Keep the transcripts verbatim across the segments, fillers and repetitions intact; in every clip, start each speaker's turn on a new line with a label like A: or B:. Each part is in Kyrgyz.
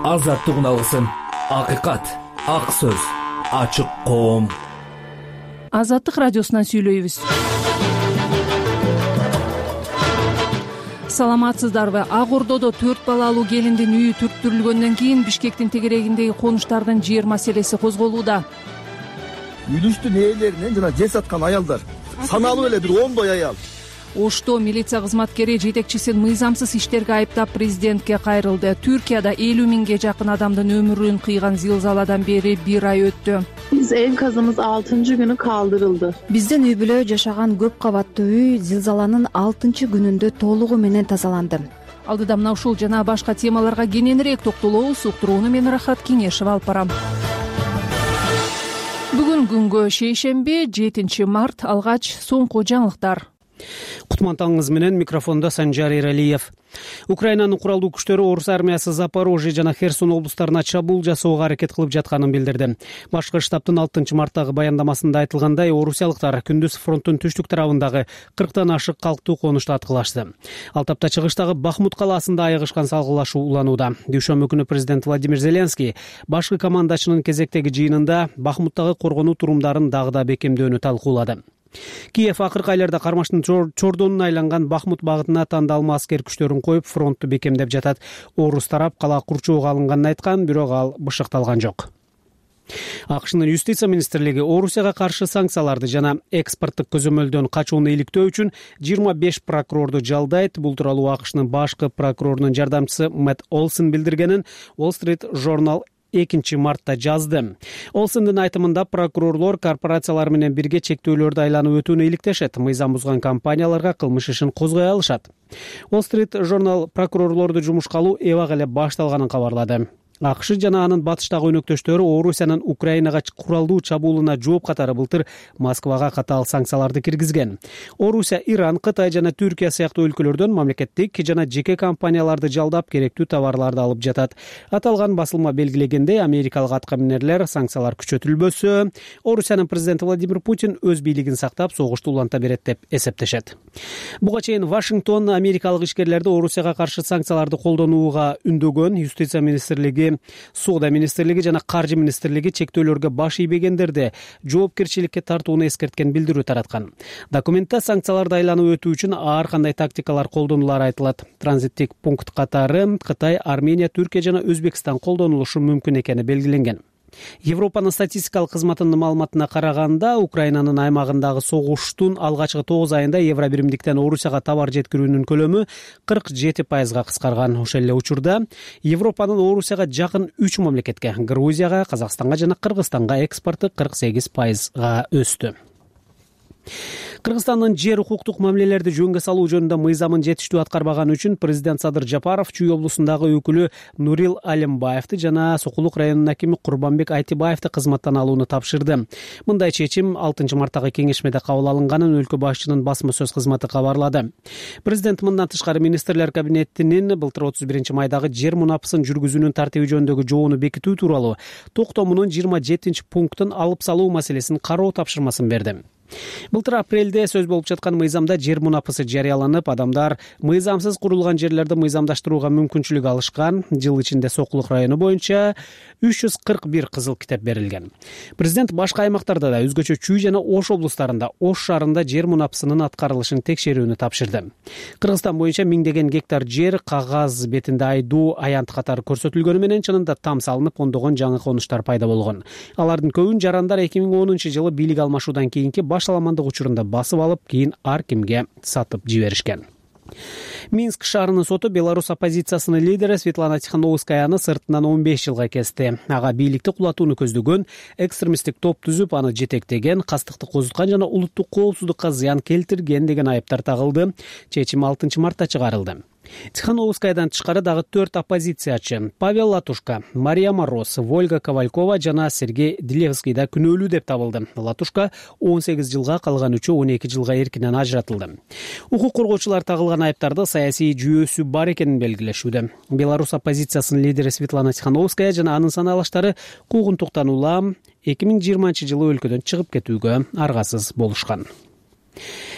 A: азаттык алгысын, акыйкат, ак сөз, ачык коом.
B: Азаттык радиосунан сүйлөйбүз. Саламатсыздарбы? Ак Ордодо төрт балалуу келиндин үйү түрттүрүлгөндөн кийин Бишкектин тегерегиндеги конуштардын жер маселеси козголууда.
C: Үйлүштүн ээлеринен жана жер саткан аялдар саналуу эле бир ондой аял.
B: Ошто милиция кызматкери жетекчисин мыйзамсыз иштерге айыптап президентке кайрылды. Түркияда элүү миңге жакын адамдын өмүрүн кыйган зилзаладан бери бир ай өттү.
D: Биз энказымыз алтынчы күнү калтырылды.
E: Биздин үй бүлө жашаган көп кабаттуу үй зилзаланын алтынчы күнүндө толугу менен тазаланды.
B: Алдыда мына ушул жана башка темаларга кененирээк токтолобуз. Уктурууну мен Рахат Кеңешева алып барам. Бүгүн күнгө шейшемби, жетинчи март. Алгач соңку жаңылыктар.
F: Кутман таңыңыз менен микрофондо Санжар Эралиев. Украинанын куралдуу күчтөрү Орус армиясы Запорожье жана Херсон облустарына чабуул жасоого аракет кылып жатканын билдирди. Башкы штабтын алтынчы марттагы баяндамасында айтылгандай, орусиялыктар күндүз фронттун түштүк тарабындагы кырктан ашык калктуу конушту аткылашты. Ал тапта чыгыштагы Бахмут калаасында аягышкан салгылашуу уланууда. Дүйшөмбү күнү президент Владимир Зеленский башкы командачынын кезектеги жыйынында Бахмуттагы коргонуу турумдарын дагы да бекемдөөнү талкуулады. Киев акыркы айларда кармаштын чордонуна айланган Бахмут багытына тандалма аскер күчтөрүн коюп, фронтту бекемдеп жатат. Орус тарап кала курчоого алынганын айткан, бирок ал бышыкталган жок. АКШнын юстиция министрлиги Орусияга каршы санкцияларды жана экспорттук көзөмөлдөн качууну иликтөө үчүн жыйырма беш прокурорду жалдайт. Бул тууралуу АКШнын башкы прокурорунун жардамчысы Мэтт Олсен билдиргенин Wall Street Journal экинчи мартта жазды. Олсендин айтымында прокурорлор корпорациялар менен бирге чектөөлөрдү айланып өтүүнү иликтешет, мыйзам бузган компанияларга кылмыш ишин козгой алышат. Wall Street Journal прокурорлорду жумушка алуу эбак эле башталганын кабарлады. АКШ жана анын батыштагы өнөктөштөрү Орусиянын Украинага куралдуу чабуулуна жооп катары былтыр Москвага катаал санкцияларды киргизген. Орусия, Иран, Кытай жана Түркия сыяктуу өлкөлөрдөн мамлекеттик жана жеке компанияларды жалдап керектүү товарларды алып жатат. Аталган басылма белгилегендей, америкалык аткаминерлер санкциялар күчөтүлбөсө, Орусиянын президенти Владимир Путин өз бийлигин сактап, согушту уланта берет деп эсептешет. Буга чейин Вашингтон америкалык ишкерлерди Орусияга каршы санкцияларды колдонууга үндөгөн. Юстиция министрлиги, Соода министрлиги жана Каржы министрлиги чектөөлөргө баш ийбегендерди жоопкерчиликке тартууну эскерткен билдирүү тараткан. Документте санкцияларды айланып өтүү үчүн ар кандай тактикалар колдонулары айтылат. Транзиттик пункт катары Кытай, Армения, Түркия жана Өзбекстан колдонулушу мүмкүн экени белгиленген. Европанын статистикалык кызматынын маалыматына караганда, Украинанын аймагындагы согуштун алгачкы тогуз айында евро биримдиктен Орусияга товар жеткирүүнүн көлөмү кырк жети пайызга кыскарган. Ошол эле учурда Европанын Орусияга жакын үч мамлекетке — Грузияга, Казакстанга жана Кыргызстанга экспорту кырк сегиз пайызга өстү. Кыргызстандын жер укуктук мамилелерди жөнгө салуу жөнүндө мыйзамын жетиштүү аткарбаганы үчүн президент Садыр Жапаров Чүй облусундагы өкүлү Нурил Алимбаевди жана Сокулук районунун акими Курбанбек Айтибаевди кызматтан алууну тапшырды. Мындай чечим алтынчы марттагы кеңешмеде кабыл алынганын өлкө башчынын басма сөз кызматы кабарлады. Президент мындан тышкары министрлер кабинетинин былтыр отуз биринчи майдагы жер мунапысын жүргүзүүнүн тартиби жөнүндөгү жобону бекитүү тууралуу токтомунун жыйырма жетинчи пунктун алып салуу маселесин кароо тапшырмасын берди. Былтыр апрелде сөз болуп жаткан мыйзамда жер мунапысы жарыяланып, адамдар мыйзамсыз курулган жерлерди мыйзамдаштырууга мүмкүнчүлүк алышкан. Жыл ичинде Сокулук району боюнча үч жүз кырк бир кызыл китеп берилген. Президент башка аймактарда да, өзгөчө Чүй жана Ош облустарында, Ош шаарында жер мунапысынын аткарылышын текшерүүнү тапшырды. Кыргызстан боюнча миңдеген гектар жер кагаз бетинде айдуу, аянт катары көрсөтүлгөнү менен чынында там салынып, ондогон жаңы конуштар пайда болгон. Алардын көбүн жарандар эки миң онунчу жылы бийлик алмашуудан кийинки башаламандык учурунда басып алып, кийин ар кимге сатып жиберишкен. Минск шаарынын соту Беларусь оппозициясынын лидери Светлана Тихановскаяны сыртынан он беш жылга кести. Ага бийликти кулатууну көздөгөн, экстремисттик топ түзүп, аны жетектеген, кастыкты козуткан жана улуттук коопсуздукка зыян келтирген деген айыптар тагылды. Чечим алтынчы мартта чыгарылды. Тихановскаядан тышкары дагы төрт оппозициячы — Павел Латушка, Мария Мороз, Вольга Ковалькова жана Сергей Делевский да күнөөлүү деп табылды. Латушка он сегиз жылга, калган үчөө он эки жылга эркинен ажыратылды. Укук коргоочулар тагылган айыптарды саясий жүйөсү бар экенин белгилешүүдө. Беларусь оппозициясынын лидери Светлана Тихановская жана анын санаалаштары куугунтуктан улам эки миң жыйырманчы жылы өлкөдөн чыгып кетүүгө аргасыз болушкан.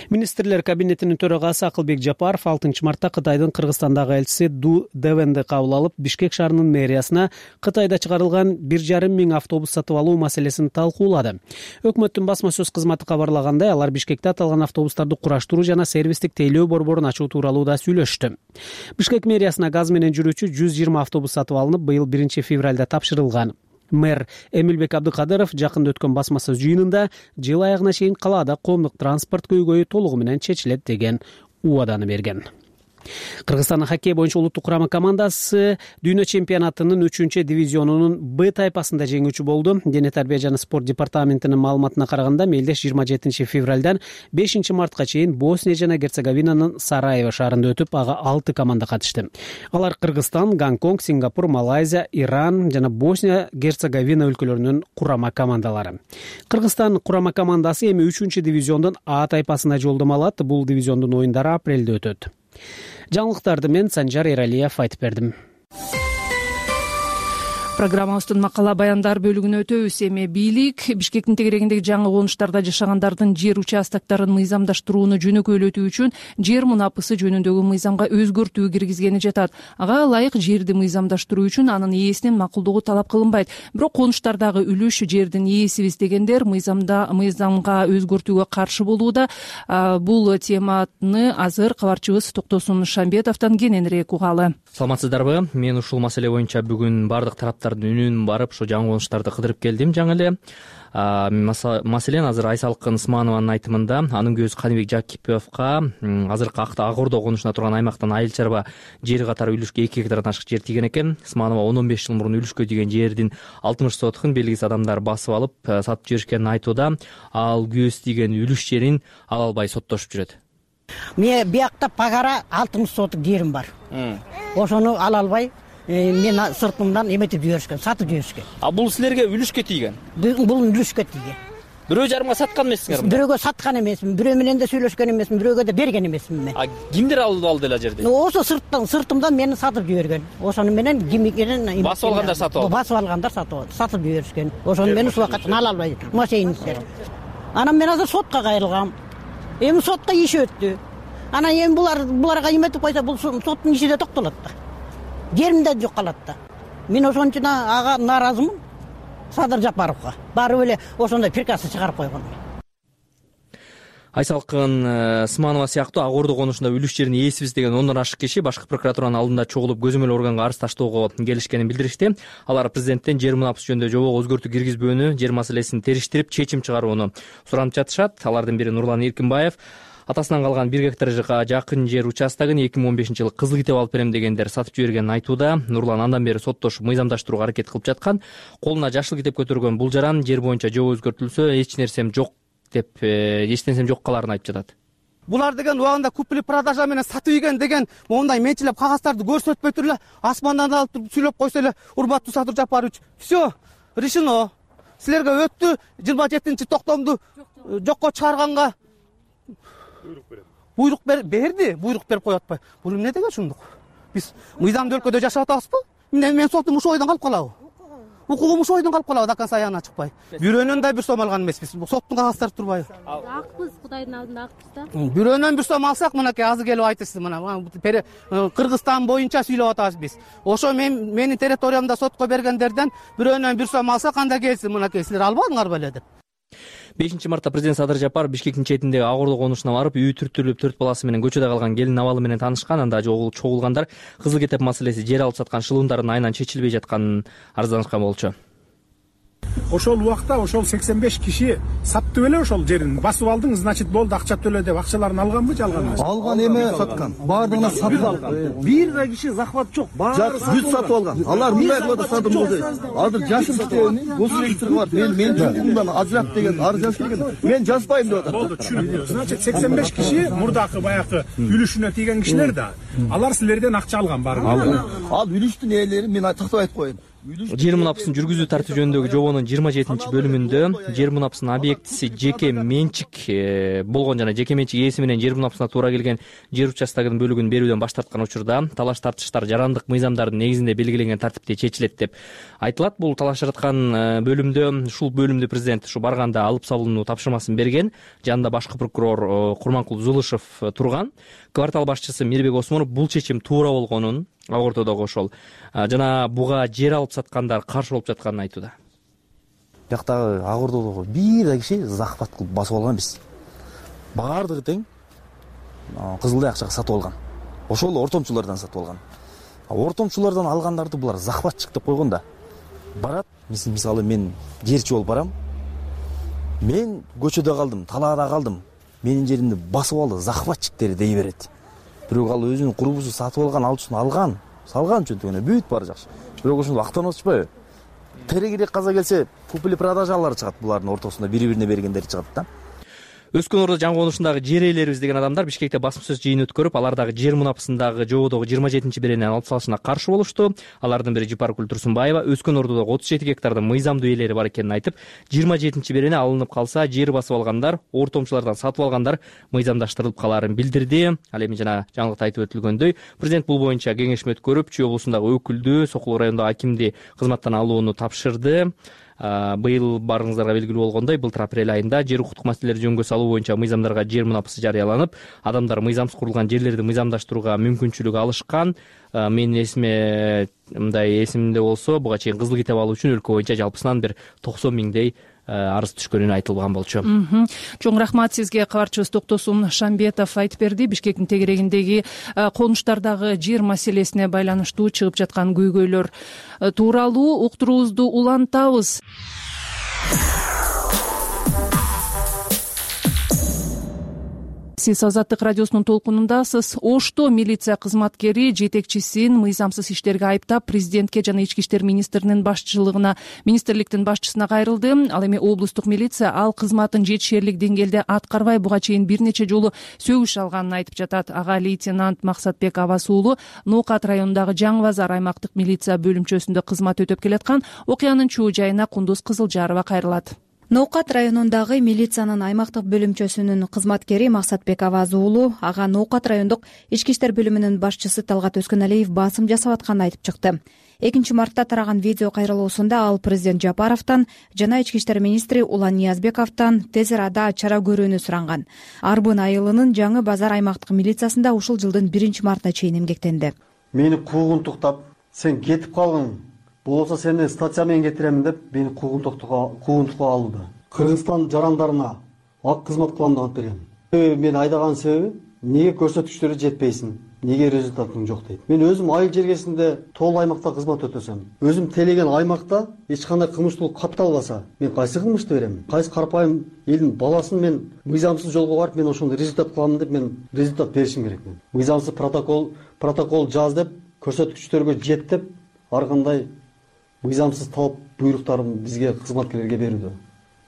F: Министрлер кабинетинин төрагасы Акылбек Жапаров алтынчы мартта Кытайдын Кыргызстандагы элчиси Ду Девенди кабыл алып, Бишкек шаарынын мэриясына Кытайда чыгарылган бир жарым миң автобус сатып алуу маселесин талкуулады. Өкмөттүн басма сөз кызматы кабарлагандай, алар Бишкекте аталган автобустарды кураштыруу жана сервистик тейлөө борборун ачуу тууралуу да сүйлөштү. Бишкек мэриясына газ менен жүрүүчү жүз жыйырма автобус сатып алынып, быйыл биринчи февралда тапшырылган. Мэр Эмилбек Абдыкадыров жакында өткөн басма сөз жыйынында жыл аягына чейин калаада коомдук транспорт көйгөйү толугу менен чечилет деген убаданы берген. Кыргызстандын хоккей боюнча улуттук курама командасы дүйнө чемпионатынын үчүнчү дивизионунун Б тайпасында жеңүүчү болду. Дене тарбия жана спорт департаментинин маалыматына караганда, мелдеш жыйырма жетинчи февралдан бешинчи мартка чейин Босния жана Герцеговинанын Сараево шаарында өтүп, ага алты команда катышты. Алар Кыргызстан, Гонконг, Сингапур, Малайзия, Иран жана Босния Герцеговина өлкөлөрүнүн курама командалары. Кыргызстан курама командасы эми үчүнчү дивизиондун А тайпасына жолдомо алат. Бул дивизиондун оюндары апрелде өтөт. Жаңылыктарды мен Санжар Эралиев айтып бердим.
B: Программабыздын макала баяндар бөлүгүнө өтөбүз. Эми бийлик Бишкектин тегерегиндеги жаңы конуштарда жашагандардын жер участоктарын мыйзамдаштырууну жөнөкөйлөтүү үчүн жер мунапысы жөнүндөгү мыйзамга өзгөртүү киргизгени жатат. Ага ылайык жерди мыйзамдаштыруу үчүн анын ээсинин макулдугу талап кылынбайт. Бирок конуштардагы үлүш жердин ээсибиз дегендер мыйзамда мыйзамга өзгөртүүгө каршы болууда. Бул теманы азыр кабарчыбыз Токтосун Шамбетовдон кененирээк угалы.
G: Саламатсыздарбы? Мен ушул маселе боюнча бүгүн бардык тараптардын үнүн барып, ошо жаңы конуштарды кыдырып келдим. Жаңы эле маселен азыр Айсалкын Ысманованын айтымында анын көзү Каныбек Жакиповго азыркы Ак Ордо конушуна турган аймактан айыл чарба жери катары үлүшкө эки гектардан ашык жер тийген экен. Ысманова он он беш жыл мурун үлүшкө тийген жердин алтымыш сотукун белгисиз адамдар басып алып сатып жиберишкенин айтууда. Ал көз тийген үлүш жерин ала албай соттошуп жүрөт.
H: Мен биякта пагара алтымыш сотук жерим бар. Ошону ала албай мен сыртымдан эметип жиберишкен, сатып жиберишкен.
I: А бул силерге үлүшкө тийген?
H: Бул үлүшкө тийген.
I: Бирөө жарымга саткан эмессиңерби?
H: Бирөөгө саткан эмесмин, бирөө менен да сүйлөшкөн эмесмин, бирөөгө да берген эмесмин мен.
I: А кимдер алып алды эле жерди?
H: Ошо сырттан, сыртымдан мени сатып жиберген. Ошону менен кимикенен
I: басып алгандар сатып алды.
H: Басып алгандар сатып алды, сатып жиберишкен. Ошону мен ушул вакытта ала албай машинисер. Анан мен азыр сотко кайрылгам. Эми сотко иш өттү. Анан эми булар буларга эметип койсо, бул соттун иши да токтолот да. Жеримде жок калат да. Мен ошончун ага нааразымын. Садыр Жапаровго барып эле ошондой приказ чыгарып койгон.
G: Айсалкын Ысманова сыяктуу Ак Ордо конушунда үлүш жерин ээсибиз деген ондон ашык киши башкы прокуратуранын алдында чогулуп көзөмөл органга арыз таштоого келишкенин билдиришти. Алар президенттен жер мунапысы жөнүндө жобого өзгөртүү киргизбөөнү, жер маселесин териштирип чечим чыгарууну суранып жатышат. Алардын бири Нурлан Эркинбаев. Атасынан калган бир гектарга жакын жер участогун эки миң он бешинчи жылы кызыл китеп алып берем дегендер сатып жибергенин айтууда. Нурлан андан бери соттошуп мыйзамдаштырууга аракет кылып жаткан. Колуна жашыл китеп көтөргөн бул жаран жер боюнча жобо өзгөртүлсө эч нерсем жок деп эч нерсем жок каларын айтып жатат.
J: Булар деген убагында купили продажа менен сатып ийген деген мондай менчилеп кагаздарды көрсөтпөй туруп эле асмандан алып туруп сүйлөп койсо эле, урматтуу Садыр Жапарович, все решено. Силерге өттү, жыйырма жетинчи токтомду жокко чыгарганга буйрук берди, буйрук берип коюп атпай. Бул эмне деген ушундук? Биз мыйзамдуу өлкөдө жашап атабызбы? Мен мен соттун ушул ойдон калып калабы? Укугум ушул ойдон калып калабы, до конца аягына чыкпай. Бирөөнөн да бир сом алган эмеспиз. Соттун кагаздары турбайбы?
K: Акпыз, Кудайдын алдында акпыз да.
J: Бирөөнөн бир сом алсак, мынакей азыр келип айтасыз, мына Кыргызстан боюнча сүйлөп атабыз биз. Ошо мен менин территориямда сотко бергендерден бирөөнөн бир сом алсак, анда келсин, мынакей силер албадыңар беле деп.
G: бешинчи мартта президент Садыр Жапаров Бишкектин четиндеги Ак Ордо конушуна барып, үй түртүлүп төрт баласы менен көчөдө калган келин абалы менен таанышкан. Анда чогулгандар кызыл китеп маселеси жер алып саткан шылуундардын айынан чечилбей жатканын арызданышкан болчу.
L: Ошол убакта ошол сексен беш киши сатты беле ошол жерин. Басып алдың, значит болду, акча төлө деп акчаларын алганбы, жалган эмеспи?
C: Алган эме саткан. Баардыгына сатып алган.
I: Бир да киши захват жок.
C: Баары бүт сатып алган. Алар мындай кылып сатып болду. Азыр жашыл китебин госрегистрге барып, мен мен жумумдан ажырап деген арыз жазып келген. Мен жазбайм деп атат.
L: Болду, түшүндүм. Значит сексен беш киши мурдакы баягы үлүшүнө тийген кишилер да. Алар силерден акча алган баары.
C: Ал үлүштүн ээлери мен тактап айтып коеюн.
G: жер мунапысын жүргүзүү тартиби жөнүндөгү жобонун жыйырма жетинчи бөлүмүндө жер мунапысынын объектиси жеке менчик болгон жана жеке менчик ээси менен жер мунапысына туура келген жер участогунун бөлүгүн берүүдөн баш тарткан учурда талаш тартыштар жарандык мыйзамдардын негизинде белгиленген тартипте чечилет деп айтылат. Бул талашып жаткан бөлүмдө ушул бөлүмдү президент ушу барганда алып салууну тапшырмасын берген. Жанында башкы прокурор Курманкул Зулышев турган. Квартал башчысы Мирбек Осмонов бул чечим туура болгонун ак ортодогу ошол жана буга жер алып саткандар каршы болуп жатканын айтууда.
M: Бияктагы ак ортодогу бир да киши захват кылып басып алган эмес. Баардыгы тең кызылдай акчага сатып алган. Ошол ортомчулардан сатып алган. Ортомчулардан алгандарды булар захватчык деп койгон да. Барат, мисалы мен жерчи болуп барам. Мен көчөдө калдым, талаада калдым. Менин жеримди басып алды, захватчиктер дей берет. Бирок ал өзүнүн курбусу сатып алган, алчысын алган, салган чөнтөгүнө бүт баары жакшы. Бирок ошондо актанып атышпайбы? Терегирээк каза келсе, купили продажалар чыгат булардын ортосунда бири-бирине бергендери чыгат да.
G: Өскөн Ордо жаңы конушундагы жер ээлерибиз деген адамдар Бишкекте басым сөз жыйын өткөрүп, алар дагы жер мунапысындагы жободогу жыйырма жетинчи беренени алып салышына каршы болушту. Алардын бири Жипаркүл Турсунбаева Өскөн Ордодогу отуз жети гектардын мыйзамдуу ээлери бар экенин айтып, жыйырма жетинчи берене алынып калса, жер басып алгандар, ортомчулардан сатып алгандар мыйзамдаштырылып калаарын билдирди. Ал эми жана жаңылыкта айтып өтүлгөндөй, президент бул боюнча кеңешме өткөрүп, Чүй облусундагы өкүлдү, Сокул районундагы акимди кызматтан алууну тапшырды. Быйыл барыңыздарга белгилүү болгондой, былтыр апрель айында жер укуктук маселелери жөнгө салуу боюнча мыйзамдарга жер мунапысы жарыяланып, адамдар мыйзамсыз курулган жерлерди мыйзамдаштырууга мүмкүнчүлүк алышкан. Менин эсиме мындай эсимде болсо, буга чейин кызыл китеп алуу үчүн өлкө боюнча жалпысынан бир токсон миңдей арыз түшкөнү айтылган болчу.
B: Чоң рахмат сизге. Кабарчыбыз Токтосун Шамбетов айтып берди. Бишкектин тегерегиндеги конуштардагы жер маселесине байланыштуу чыгып жаткан көйгөйлөр тууралуу уктуруубузду улантабыз. Сиз Азаттык радиосунун толкунундасыз. Ошто милиция кызматкери жетекчисин мыйзамсыз иштерге айыптап, президентке жана ички иштер министринин башчылыгына, министрликтин башчысына кайрылды. Ал эми облустук милиция ал кызматын жетишерлик деңгээлде аткарбай, буга чейин бир нече жолу сөгүш алганын айтып жатат. Ага лейтенант Максатбек Абас уулу Ноокат районундагы Жаңы Базар аймактык милиция бөлүмчөсүндө кызмат өтөп келаткан. Окуянын чоо жайына Кундуз Кызылжарова кайрылат.
E: Ноокат районундагы милициянын аймактык бөлүмчөсүнүн кызматкери Максатбек Абаз уулу ага Ноокат райондук ички иштер бөлүмүнүн башчысы Талгат Өскөналиев басым жасап атканын айтып чыкты. экинчи мартта тараган видео кайрылуусунда ал президент Жапаровдон жана ички иштер министри Улан Ниязбековдон тез арада чара көрүүнү суранган. Арбын айылынын Жаңы Базар аймактык милициясында ушул жылдын биринчи мартына чейин эмгектенди.
N: Мени куугунтуктап, сен кетип калгың, болсо сени статья менен кетиремин деп мени куугунтукка алууда. Кыргызстан жарандарына ак кызмат кылам деп берген. Мен айдаган себеби эмнеге көрсөткүчтөрү жетпейсиң, эмнеге результатың жок дейт. Мен өзүм айыл жергесинде тоол аймакта кызмат өтөсөм, өзүм телеген аймакта эч кандай кылмыштуулук катталбаса, мен кайсы кылмышты берем? Кайсы карапайым элдин баласын мен мыйзамсыз жолго барып, мен ошондой результат кылам деп мен результат беришим керек. Мен мыйзамсыз протокол протокол жаз деп, көрсөткүчтөргө жет деп, ар кандай мыйзамсыз талап буйруктарын бизге кызматкерлерге берүүдө.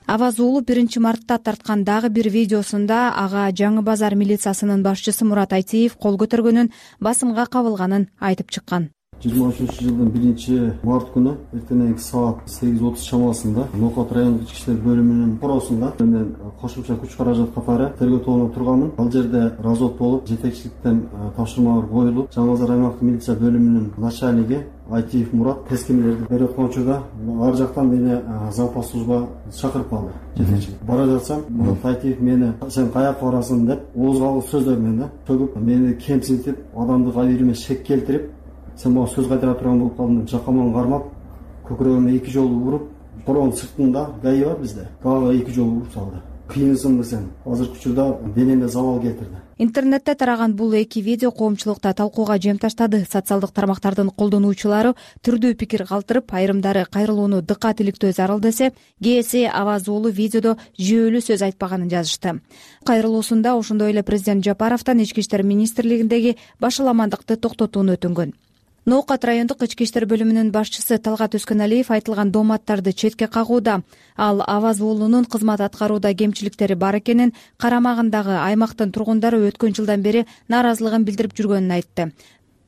E: Абаз уулу биринчи мартта тарткан дагы бир видеосунда ага Жаңы Базар милициясынын башчысы Мурат Айтиев кол көтөргөнүн, басымга кабылганын айтып чыккан.
N: жыйырма үчүнчү жылдын биринчи март күнү эртеңки саат сегиз отуз чамасында Ноокат райондук ички иштер бөлүмүнүн коросунда мен кошумча күч каражат катары тергөө тобуна турганмын. Ал жерде развод болуп, жетекчиликтен тапшырмалар коюлуп, Жаңы Базар аймактык милиция бөлүмүнүн начальниги Айтиев Мурат тескемелерди берип аткан учурда ар жактан мени запас служба чакырып калды. Жетекчилик бара жатсам, Мурат Айтиев мени сен каяка барасың деп ооз калгыс сөздөр менен төгүп, мени кемсинтип, адамды кайрыма шек келтирип, сен мага сөз кайтара турган болуп калдың деп жакаман кармап, көкүрөгүмө эки жолу уруп, коронун сыртында гаи бар бизде. Дагы эки жолу уруп салды. Кыйынсыңбы сен? Азыркы учурда денеме забал келтирди.
E: Интернетте тараган бул эки видео коомчулукта талкууга жем таштады. Социалдык тармактардын колдонуучулары түрдүү пикир калтырып, айрымдары кайрылууну дыккат иликтөө зарыл десе, кээси Абаз уулу видеодо жүйөлүү сөз айтпаганын жазышты. Кайрылуусунда ошондой эле президент Жапаровдон ички иштер министрлигиндеги башаламандыкты токтотууну өтүнгөн. Ноокат райондук ички иштер бөлүмүнүн башчысы Талгат Өскөналиев айтылган дооматтарды четке кагууда. Ал Абаз уулунун кызмат аткарууда кемчиликтери бар экенин, карамагындагы аймактын тургундары өткөн жылдан бери нааразылыгын билдирип жүргөнүн айтты.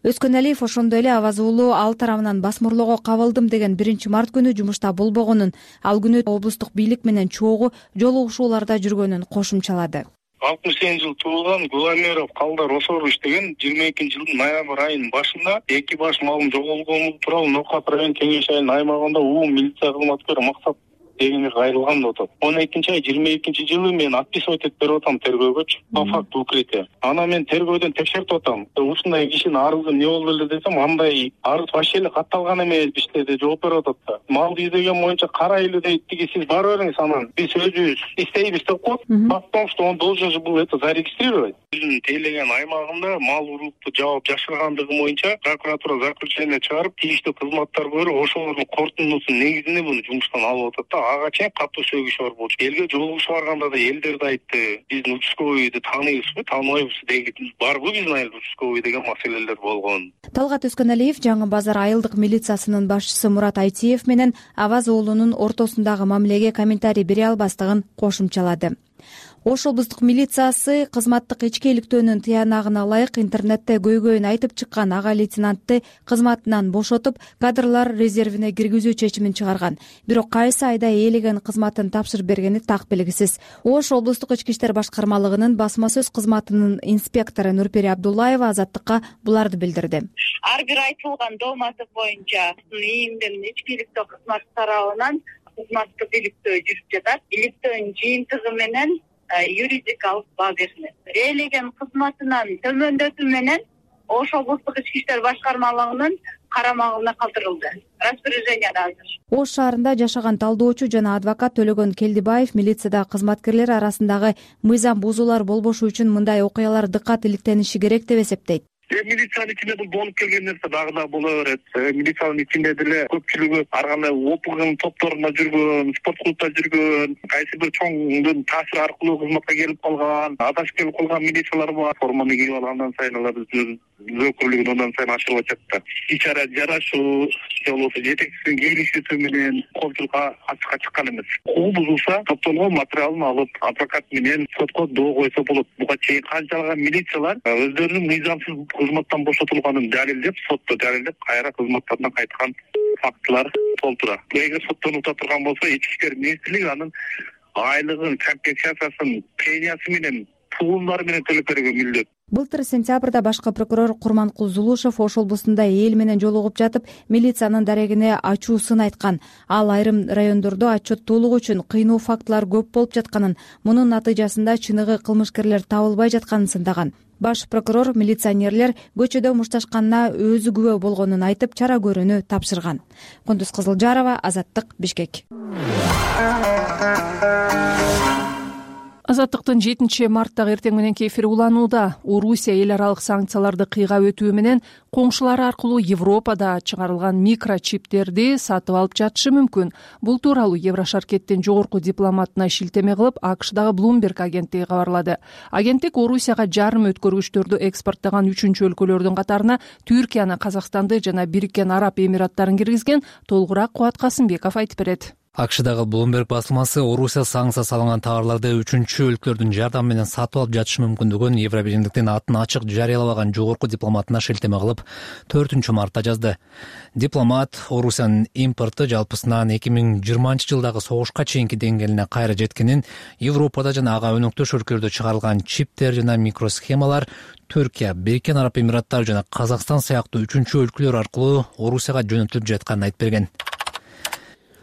E: Өскөналиев ошондой эле Аваз уулу ал тарабынан басмырлоого кабылдым деген биринчи март күнү жумушта болбогонун, ал күнү облустук бийлик менен чогуу жолугушууларда жүргөнүн кошумчалады.
O: алтымыш сегизинчи жылы туулган Гуламеров Калдар Осорович деген жыйырма экинчи жылдын ноябрь айынын башында эки баш малын жоголгону тууралуу Нокат район кеңеш айылынын аймагында умум милиция кызматкери Максат дегенге кайрылган деп атат. он экинчи ай жыйырма экинчи жылы мен отписывать этип берип атам тергөөгөчү. По факту укрытия. Анан мен тергөөдөн текшертип атам. Ушундай кишинин арызы эмне болду эле десем, андай арыз вообще эле катталган эмес бизде деп жооп берип атат да. Малды издеген боюнча карайлы дейт, тиги сиз барып бериңиз анан биз өзүбүз издейбиз деп коет. Потом что он должен же был это зарегистрировать. Өзүнүн тейлеген аймагында мал урукту жаап жашыргандыгы боюнча прокуратура заключение чыгарып, тийиштүү кызматтар көрүп, ошолордун корутундусунун негизинде буну жумуштан алып атат да. Ага чейин катуу сөгүш бар болчу. Элге жолугушуп барганда да элдер да айтты, биздин участковыйды тааныйбызбы, тааныбайбызбы деген барбы биздин айыл участковый деген маселелер болгон.
E: Талгат Өскөналиев Жаңы Базар айылдык милициясынын башчысы Мурат Айтиев менен Аваз уулунун ортосундагы мамилеге комментарий бере албастыгын кошумчалады. Ош облустук милициясы кызматтык ичкиликтөөнүн тыянагына ылайык интернетте көйгөйүн айтып чыккан ага лейтенантты кызматынан бошотуп, кадрлар резервине киргизүү чечимин чыгарган. Бирок кайсы айда ээлеген кызматын тапшырып бергени так белгисиз. Ош облустук ички иштер башкармалыгынын басма сөз кызматынын инспектору Нурпери Абдуллаева Азаттыкка буларды билдирди.
P: Ар бир айтылган дооматы боюнча ийимден ичкиликтөө кызматы тарабынан кызматтык иликтөө жүрүп жатат. Иликтөөнүн жыйынтыгы менен юридикалык баа берилет. Ээлеген кызматынан төмөндөтүү менен Ош облустук ички иштер башкармалыгынын карамагына калтырылды. Распоряжение азыр.
E: Ош шаарында жашаган талдоочу жана адвокат Төлөгөн Келдибаев милицияда кызматкерлер арасындагы мыйзам бузуулар болбошу үчүн мындай окуялар дыкат иликтениши керек деп эсептейт.
O: Милициянын ичинде бул болуп келген нерсе дагы да боло берет. Милициянын ичинде деле көпчүлүгү ар кандай опугун топторунда жүргөн, спорт клубда жүргөн, кайсы бир чоңдун таасири аркылуу кызматка келип калган, адашып келип калган милициялар бар. Форманы кийип алгандан сайын алар өкүлүгүн андан сайын ашырып атат да. Ичара жарашуу, же болбосо жетекчисинин келишүүсү менен коомчулукка ачыкка чыккан эмес. Укук бузулса, топтолгон материалын алып, адвокат менен сотко доо койсо болот. Буга чейин канчалаган милициялар өздөрүнүн мыйзамсыз кызматтан бошотулганын далилдеп, сотто далилдеп, кайра кызматтарынан кайткан фактылар толтура. Эгер соттон ута турган болсо, ички иштер министрлиги анын айлыгын, компенсациясын, премиясы менен, пулдары менен төлөп берүүгө мүлдөт.
E: Былтыр сентябрда башкы прокурор Курманкул Зулушев Ош облустунда эл менен жолугуп жатып, милициянын дарегине ачуусун айткан. Ал айрым райондордо отчеттуулук үчүн кыйноо фактылар көп болуп жатканын, мунун натыйжасында чыныгы кылмышкерлер табылбай жатканын сындаган. Баш прокурор милиционерлер көчөдө мушташканына өзү күбө болгонун айтып, чара көрүүнү тапшырган. Кундуз Кызылжарова, Азаттык, Бишкек.
B: Азаттыктын жетинчи марттагы эртең мененки эфири уланууда. Орусия эл аралык санкцияларды кыйгап өтүү менен коңшулары аркылуу Европада чыгарылган микрочиптерди сатып алып жатышы мүмкүн. Бул тууралуу Еврошаркеттин жогорку дипломатына шилтеме кылып, АКШдагы Bloomberg агенттиги кабарлады. Агенттик Орусияга жарым өткөргүчтөрдү экспорттогон үчүнчү өлкөлөрдүн катарына Түркияны, Казакстанды жана Бириккен Араб Эмираттарын киргизген. Толугураак Кубат Касымбеков айтып берет.
Q: АКШдагы Bloomberg басылмасы Орусия санкция салынган товарларды үчүнчү өлкөлөрдүн жардамы менен сатып алып жатышы мүмкүндүгүн Евробиримдиктин атын ачык жарыялаган жогорку дипломатына шилтеме кылып, төртүнчү мартта жазды. Дипломат Орусиянын импорту жалпысынан эки миң жыйырманчы жылдагы согушка чейинки деңгээлине кайра жеткенин, Европада жана ага өнөктөш өлкөлөрдө чыгарылган чиптер жана микросхемалар Түркия, Бириккен Араб Эмираттары жана Казакстан сыяктуу үчүнчү өлкөлөр аркылуу Орусияга жөнөтүлүп жатканын айтып берген.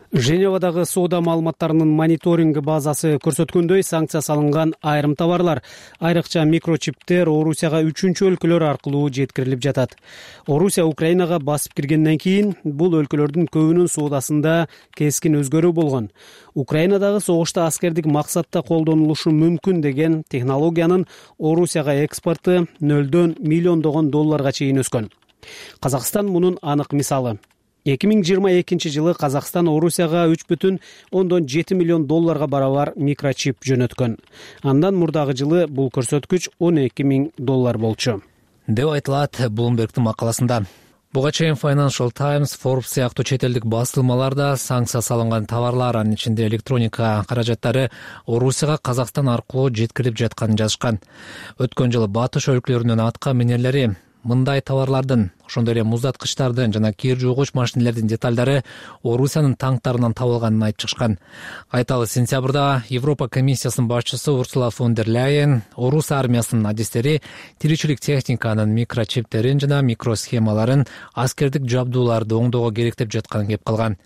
F: Женевадагы соода маалыматтарынын мониторинги базасы көрсөткөндөй, санкция салынган айрым товарлар, айрыкча микрочиптер Орусияга үчүнчү өлкөлөр аркылуу жеткирилип жатат. Орусия Украинага басып киргенден кийин бул өлкөлөрдүн көбүнүн соодасында кескин өзгөрүү болгон. Украинадагы согушта аскердик максатта колдонулушу мүмкүн деген технологиянын Орусияга экспорту нөлдөн миллиондогон долларга чейин өскөн. Казакстан мунун анык мисалы. эки миң жыйырма экинчи жылы Казакстан Орусияга үч бүтүн ондон жети миллион долларга барабар микрочип жөнөткөн. Андан мурдагы жылы бул көрсөткүч он эки миң доллар болчу,
Q: деп айтылат Bloomberg'тин макаласында. Буга чейин Financial Times, Forbes сыяктуу чет элдик басылмаларда санкция салынган товарлар, анын ичинде электроника каражаттары Орусияга Казакстан аркылуу жеткирилип жатканын жазышкан. Өткөн жылы батыш өлкөлөрүнүн атка минерлери мындай товарлардын, ошондой эле муздаткычтардын жана кир жуугуч машинелердин деталдары Орусиянын танктарынан табылганын айтып чыгышкан. Айталы, сентябрда Европа комиссиясынын башчысы Урсула фон дер Ляйен Орус армиясынын адистери тиричилик техниканын микрочиптерин жана микросхемаларын аскердик жабдууларды оңдоого керектеп жатканын кеп калган.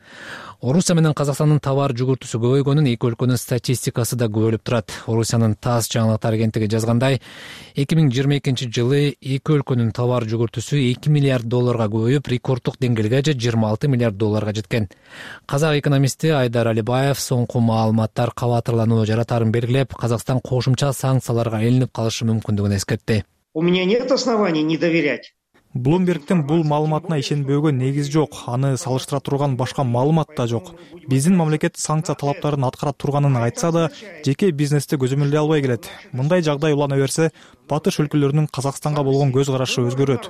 Q: Орусия менен Казакстандын товар жүгүртүүсү көбөйгөнүн эки өлкөнүн статистикасы да күбөлүп турат. Орусиянын ТАСС жаңылыктар агенттиги жазгандай, эки миң жыйырма экинчи жылы эки өлкөнүн товар жүгүртүүсү эки миллиард долларга көбөйүп, рекорддук деңгээлге же жыйырма алты миллиард долларга жеткен. Казак экономисти Айдар Алибаев соңку маалыматтар кабатырлануу жаратарын белгилеп, Казакстан кошумча санкцияларга илинип калышы мүмкүндүгүн эскертти.
R: У меня нет оснований не доверять.
S: Блумбергдин бул маалыматына ишенбөөгө негиз жок, аны салыштыра турган башка маалымат да жок. Биздин мамлекет санкция талаптарын аткара турганын айтса да, жеке бизнести көзөмөлдөй албай келет. Мындай жагдай улана берсе, батыш өлкөлөрүнүн Казакстанга болгон көз карашы өзгөрөт.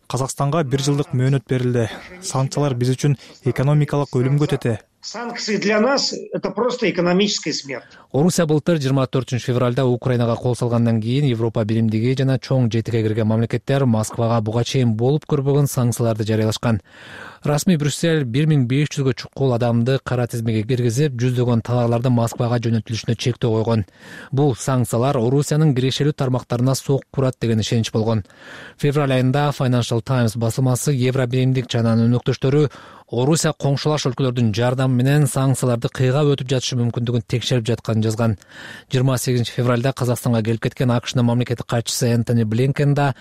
S: Казакстанга бир жылдык мөөнөт берилди. Санкциялар биз үчүн экономикалык өлүмгө тете.
R: Санкции для нас — это просто экономическая смерть.
Q: Орусия былтыр жыйырма төртүнчү февралда Украинага кол салгандан кийин Европа биримдиги жана чоң жетиге кирген мамлекеттер Москвага буга чейин болуп көрбөгөн санкцияларды жарыялашкан. Расмий Брюссель бир миң беш жүзгө чукул адамды кара тизмеге киргизип, жүздөгөн товарлардын Москвага жөнөтүлүшүнө чектөө койгон. Бул санкциялар Орусиянын кирешелүү тармактарына сок курат деген ишенич болгон. Февраль айында Financial Times басылмасы Евро биримдик жана анын өнөктөштөрү Орусия коңшулаш өлкөлөрдүн жардамы менен санкцияларды кыйгап өтүп жатышы мүмкүндүгүн текшерип жатканын жазган. жыйырма сегизинчи февралда Казакстанга келип кеткен АКШнын мамлекеттик катчысы Энтони Блинкен да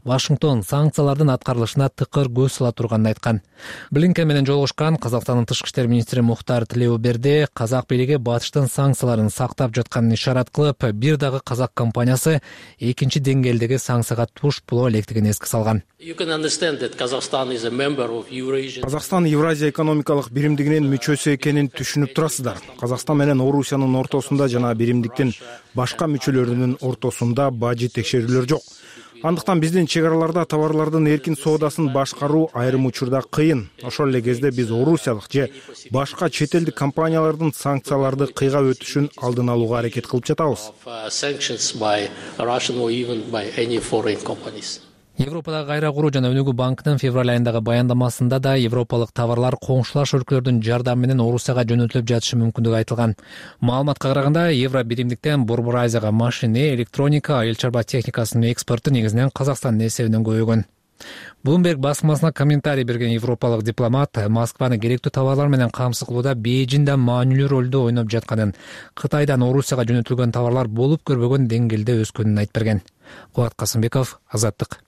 Q: Вашингтон санкциялардын аткарылышына тыкыр көз сала турганын айткан. Блинкен менен жолугушкан Казакстандын тышкы иштер министри Мухтар Тилеуберди казак бийлиги батыштын санкцияларын сактап жатканын ишарат кылып, бир дагы казак компаниясы экинчи деңгээлдеги санкцияга туш боло электигин эске салган.
L: Казакстан Евразия экономикалык биримдигинин мүчөсү экенин түшүнүп турасыздар. Казакстан менен Орусиянын ортосунда жана биримдиктин башка мүчөлөрүнүн ортосунда бажы текшерүүлөр жок. Андыктан биздин чек араларда товарлардын эркин соодасын башкаруу айрым учурда кыйын. Ошол эле кезде биз орусиялык же башка чет элдик компаниялардын санкцияларды кыйгап өтүшүн алдын алууга аракет кылып жатабыз.
Q: Европадагы кайра куруу жана өнүгүү банкынын февраль айындагы баяндамасында да европалык товарлар коңшулаш өлкөлөрдүн жардамы менен Орусияга жөнөтүлүп жатышы мүмкүндүгү айтылган. Маалыматка караганда, Евро биримдиктен Борбор Азияга машине, электроника, айыл чарба техникасынын экспорту негизинен Казакстандын эсебинен көбөйгөн. Bloomberg басмасына комментарий берген европалык дипломат Москваны керектүү товарлар менен камсыз кылууда Бейжиңден маанилүү ролду ойноп жатканын, Кытайдан Орусияга жөнөтүлгөн товарлар болуп көрбөгөн деңгээлде өскөнүн айтып берген. Кубат Касымбеков, Азаттык.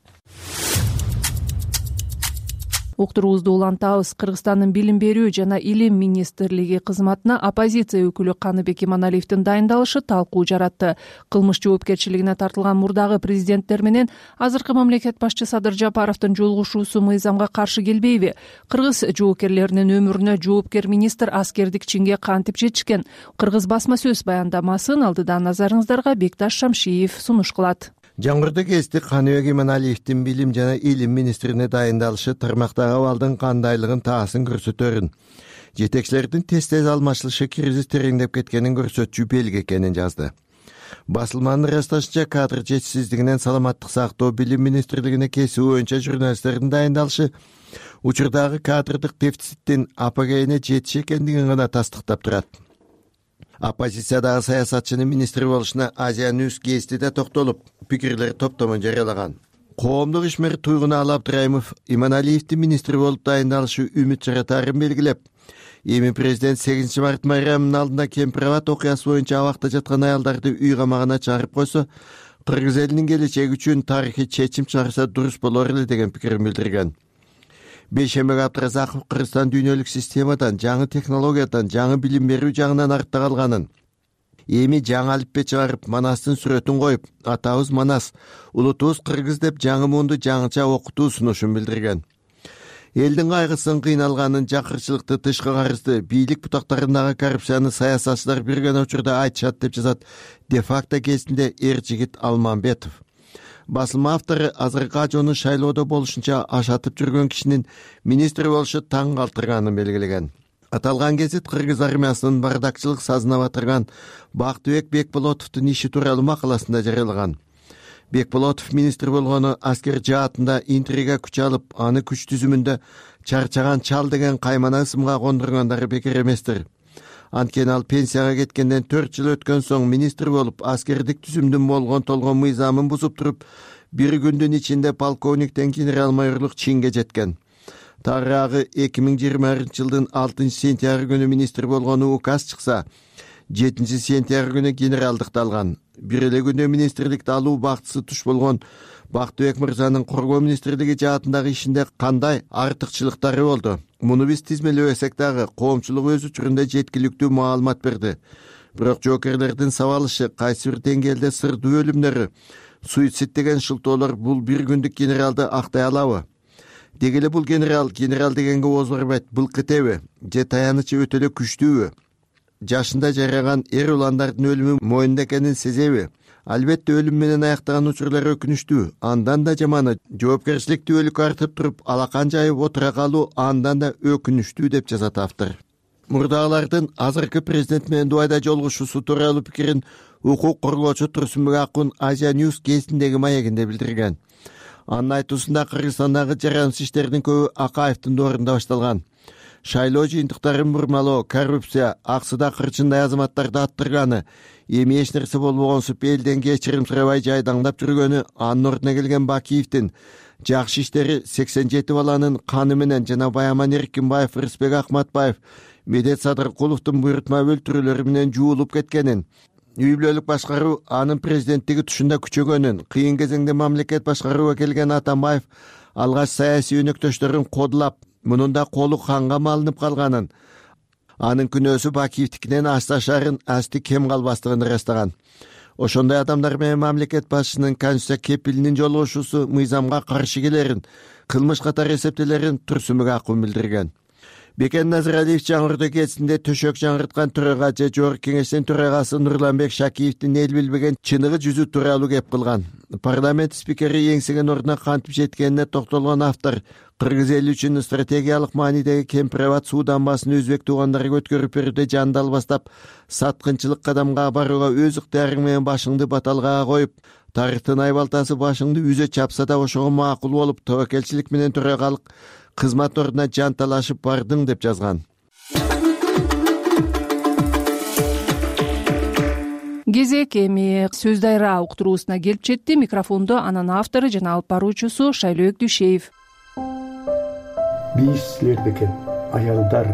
B: Уктуруубузду улантабыз. Кыргызстандын билим берүү жана илим министрлиги кызматына оппозиция өкүлү Каныбек Иманалиевдин дайындалышы талкуу жаратты. Кылмыш жоопкерчилигине тартылган мурдагы президенттер менен азыркы мамлекет башчы Садыр Жапаровдун жолугушуусу мыйзамга каршы келбейби? Кыргыз жоокерлеринин өмүрүнө жоопкер министр аскердик чинге кантип жетишкен? Кыргыз басма сөз баяндамасын алдыдан назарыңыздарга Бекташ Шамшиев сунуш кылат.
T: Жаңгырды кести Каныбек Иманалиевдин билим жана илим министрине дайындалышы тармактагы абалдын кандайлыгын таасын көрсөтөрүн. Жетекчилердин тез-тез алмашылышы кризис тереңдеп кеткенин көрсөтчү белги экенин жазды. Басылманын ырасташынча кадр жетишсиздигинен саламаттык сактоо билим министрлигине кесүү боюнча журналисттердин дайындалышы учурдагы кадрдык дефициттин апогейине жетиш экендигин гана тастыктап турат. Оппозициядагы саясатчынын министри болушуна Азия Ньюс гезитиде токтолуп, пикирлер топтомун жарыялаган. Коомдук ишмер Туйгун Алы Абдырайымов Иманалиевдин министри болуп дайындалышы үмүт жаратаарын белгилеп, эми президент сегизинчи март майрамынын алдында Кемпирабад окуясы боюнча абакта жаткан аялдарды үй камагына чыгарып койсо, кыргыз элинин келечеги үчүн тарыхый чечим чыгарса дурус болор эле деген пикирин билдирген. Бейшембек Абдыразаков Кыргызстан дүйнөлүк системадан, жаңы технологиядан, жаңы билим берүү жагынан артта калганын, эми жаңы алиппе чыгарып, Манастын сүрөтүн коюп, атабыз Манас, улутубуз кыргыз деп жаңы муунду жаңыча окутуу сунушун билдирген. Элдин кайгысын, кыйналганын, жакырчылыкты, тышкы карызды, бийлик бутактарындагы коррупцияны саясатчылар бирген учурда айтышат деп жазат де-факто кезинде эр жигит Алмамбетов. Басылма автору азыркы ажоонун шайлоодо болушунча ашатып жүргөн кишинин министри болушу таң калтырганын белгилеген. Аталган гезит кыргыз армиясынын бардакчылык сазына батырган Бактыбек Бекболотовдун иши тууралуу макаласында жарыялаган. Бекболотов министр болгону аскер жаатында интрига күч алып, аны күч түзүмүндө чарчаган чал деген каймана ысымга кондургандары бекер эместир. Анткени ал пенсияга кеткенден төрт жыл өткөн соң министр болуп, аскердик түзүмдүн болгон толгон мыйзамын бузуп туруп, бир күндүн ичинде полковниктен генерал-майорлук чинге жеткен. Тарагы эки миң жыйырманчы жылдын алтынчы сентябрь күнү министр болгону указ чыкса, жетинчи сентябрь күнү генералдыкты алган. Бир эле күндө министрликти алуу бактысы туш болгон Бактыбек мырзанын коргоо министрлиги жаатындагы ишинде кандай артыкчылыктары болду? Муну биз тизмелебесек дагы коомчулук өз учурунда жеткиликтүү маалымат берди. Бирок жоокерлердин сабалышы, кайсы бир деңгээлде сырдуу өлүмдөрү, суицид деген шылтоолор бул бир күндүк генералды актай алабы? Деги эле бул генерал, генерал дегенге ооз барбайт, былкытеби, же таянычы өтө эле күчтүүбү? Жашында жараган эр уландардын өлүмү мойнунда экенин сезеби? Албетте өлүм менен аяктаган учурлар өкүнүчтүү, андан да жаманы жоопкерчиликтүүлүк артып туруп алакан жайып отура калуу андан да өкүнүчтүү деп жазат автор. Мурдагылардын азыркы президент менен Дубайда жолугушуусу тууралуу пикирин укук коргоочу Турсунбек Акун Азия Ньюс кезиндеги маегинде билдирген. Анын айтуусунда Кыргызстандагы жараnsыз иштердин көбү Акаевдин доорунда башталган. Шайлоо жыйынтыктарын бурмалоо, коррупция, аксыда кырчындай азаматтарды аттырганы, эми эч нерсе болбогонсуп элден кечирим сурабай жайдаңдап жүргөнү, анын ордуна келген Бакиевдин жакшы иштери сексен жети баланын каны менен жана Баяман Эркинбаев, Рысбек Акматбаев, Медет Садыркуловдун буйрутма өлтүрүүлөрү менен жуулуп кеткенин, үй бүлөлүк башкаруу анын президенттиги тушунда күчөгөнүн, кыйын кезеңде мамлекет башкарууга келген Атамбаев алгач саясий өнөктөштөрүн кодулап, мунун да колу канга малынып калганын, анын күнөөсү Бакиевдикинен асташарын асти кем калбастыгын ырастаган. Ошондой адамдар менен мамлекет башчысынын конституция кепилинин жолугушуусу мыйзамга каршы келерин, кылмыш катары эсептелерин Турсунбек Акун билдирген. Бекен Назаралиев жаңыртуу кезинде төшөк жаңырткан төрага же жогорку кеңештин төрагасы Нурланбек Шакиевдин эл билбеген чыныгы жүзү тууралуу кеп кылган. Парламент спикери эңсеген ордуна кантип жеткенине токтолгон автор кыргыз эли үчүн стратегиялык маанидеги Кемпирабад суу дамбасын өзбек туугандарга өткөрүп берүүдө жанды албастап, саткынчылык кадамга барууга өз ыктыярың менен башыңды баталгага коюп, тарыхтын айбалтасы башыңды үзө чапса да ошого макул болуп, тобокелчилик менен төрагалык кызмат ордуна жанталашып бардың деп жазган.
B: Кезек эми Сөз дайра уктуруусуна келип жетти. Микрофондо анын автору жана алып баруучусу Шайлоок Дүйшеев.
U: Бийиш силерде экен, аялдар,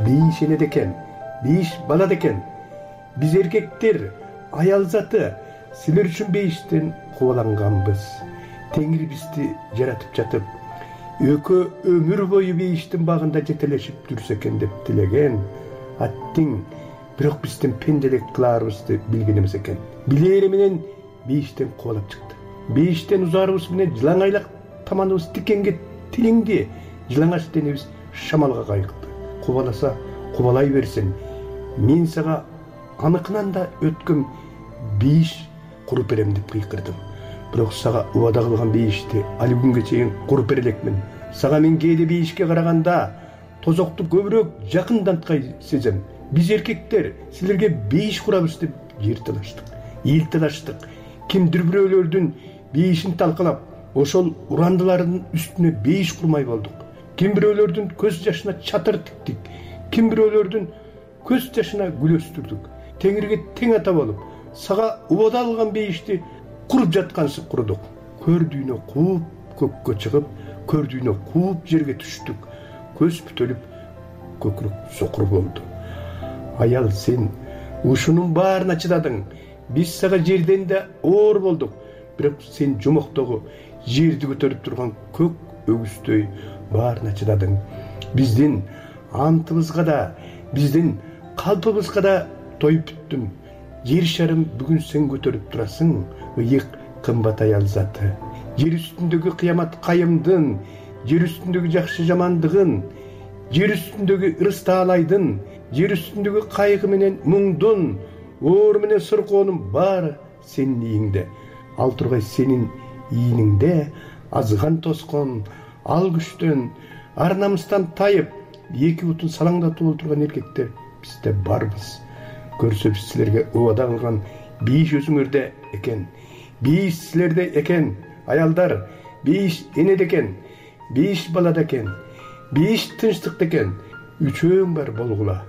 U: бийиш энеде экен, бийиш балада экен. Биз эркектер, аял заты силер үчүн бейиштен кубаланганбыз. Теңир бизди жаратып жатып, өкө өмүр бою бейиштин багында жетелешип жүрсө экен деп тилеген. Аттиң, бирок биздин пенделик кылаарыбызды билген эмес экен. Билери менен бейиштен кубалап чыкты. Бейиштен узаарыбыз менен жылаңайлак таманыбыз тикенге тилиңди. Жылаңач денебиз шамалга кайыкты. Кубаласа кубалай берсин. Мен сага аныкынан да өткөн бейиш куруп берем деп кыйкырдым. Бирок сага убада кылган бейишти али күнгө чейин куруп бере элекмин. Сага мен кээде бейишке караганда тозокту көбүрөөк жакынданткай сезем. Биз эркектер силерге бейиш курабыз деп жер талаштык, эл талаштык. Кимдир бирөөлөрдүн бейишин талкалап, ошол урандылардын үстүнө бейиш курмай болдук. Ким бирөөлөрдүн көз жашына чатыр тиктик, ким бирөөлөрдүн көз жашына гүл өстүрдүк. Теңирге тең ата болуп, сага убада алган бейишти куруп жаткансып курдук. Көрдүйнө кууп көккө чыгып, көрдүйнө кууп жерге түштүк. Көз бүтөлүп, көкүрөк сокур болду. Аял, сен ушунун баарына чыдадың. Биз сага жерден да оор болдук. Бирок сен жомоктогу жерди көтөрүп турган көк өгүздөй баарына чыдадың. Биздин антыбызга да, биздин калпыбызга да тоюп бүттүм. Жер шарым бүгүн сен көтөрүп турасың, ыйык кымбат аял заты. Жер үстүндөгү кыямат кайымдын, жер үстүндөгү жакшы жамандыгын, жер үстүндөгү ырыс таалайдын, жер үстүндөгү кайгы менен муңдун, оор менен сыркоонун баары сенин ийиңде. Ал тургай сенин ийиниңде азган тоскон, ал күчтөн, ар намыстан тайып, эки бутун салаңдатып отурган эркектер бизде барбыз. Көрсө биз силерге убада кылган бейиш өзүңөрдө экен. бейиш силерде экен, аялдар, бейиш энеде экен, бейиш балада экен, бейиш тынчтыкта экен. Үчөөң бар болгула,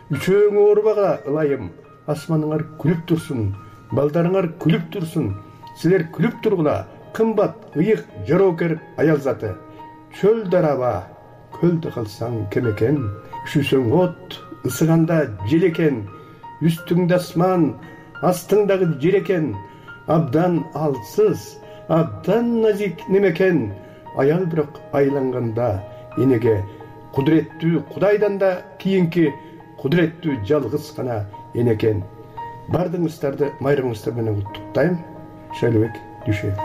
U: үчөөң оорубага ылайым. Асманыңар күлүп турсун, балдарыңар күлүп турсун. Силер күлүп тургула, кымбат, ыйык, жоокер аял заты. Чөлдөр аба, көлдө калсаң кем экен. Üşүсөң от, ысыганда жел экен. Үстүңдө асман, астыңдагы жер экен. Абдан алсыз, абдан назик немекен. Аял бирок айланганда энеге кудуреттүү Кудайдан да кийинки кудуреттүү жалгыз гана эне экен. Бардыгыңыздарды майрамыңыздар менен куттуктайм. Шайлыбек Дүйшөев.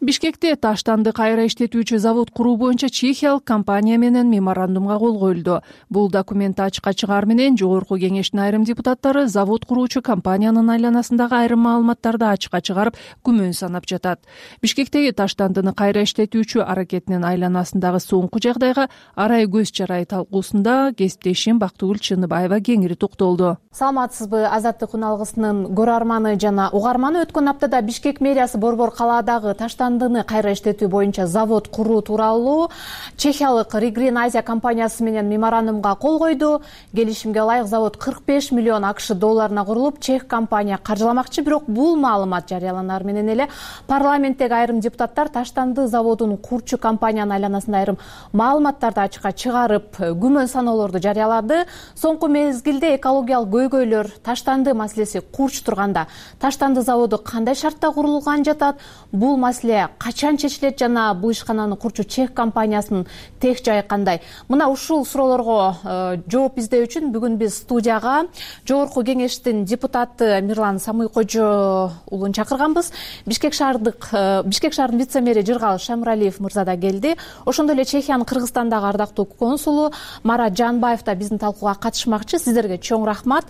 B: Бишкекте таштанды кайра иштетүүчү завод куруу боюнча чехиялык компания менен меморандумга кол коюлду. Бул документти ачыкка чыгаар менен жогорку кеңештин айрым депутаттары завод куруучу компаниянын айланасындагы айрым маалыматтарды ачыкка чыгарып, күмөн санап жатат. Бишкектеги таштандыны кайра иштетүүчү аракетинин айланасындагы соңку жагдайга арай көз чарай талкуусунда кесиптешим Бактыгүл Чыныбаева кеңири токтолду.
A: Саламатсызбы, Азаттык күн алгысынын көрөрманы жана угарманы. Өткөн аптада Бишкек мэриясы Борбор калаадагы таштандыны кайра иштетүү боюнча завод куруу тууралуу чехиялык Ригрин Азия компаниясы менен меморандумга кол койду. Келишимге ылайык завод кырк беш миллион акш долларына курулуп, чех компания каржыламакчы. Бирок бул маалымат жарыяланаар менен эле парламенттеги айрым депутаттар таштанды заводун курчу компаниянын айланасында айрым маалыматтарды ачыкка чыгарып, күмөн саноолорду жарыялады. Соңку мезгилде экологиялык көйгөйлөр, таштанды маселеси курч турганда, таштанды заводу кандай шартта курулган жатат, бул маселе качан чечилет жана бул ишкананы курчу чех компаниясынын тех жайы кандай? Мына ушул суроолорго жооп издөө үчүн бүгүн биз студияга жогорку кеңештин депутаты Мирлан Самыйкожо уулун чакырганбыз. Бишкек шаардык Бишкек шаарынын вице-мэри Жыргал Шамыралиев мырза да келди. Ошондой эле Чехиянын Кыргызстандагы ардактуу консулу Марат Жанбаев да биздин талкууга катышмакчы. Сиздерге чоң рахмат.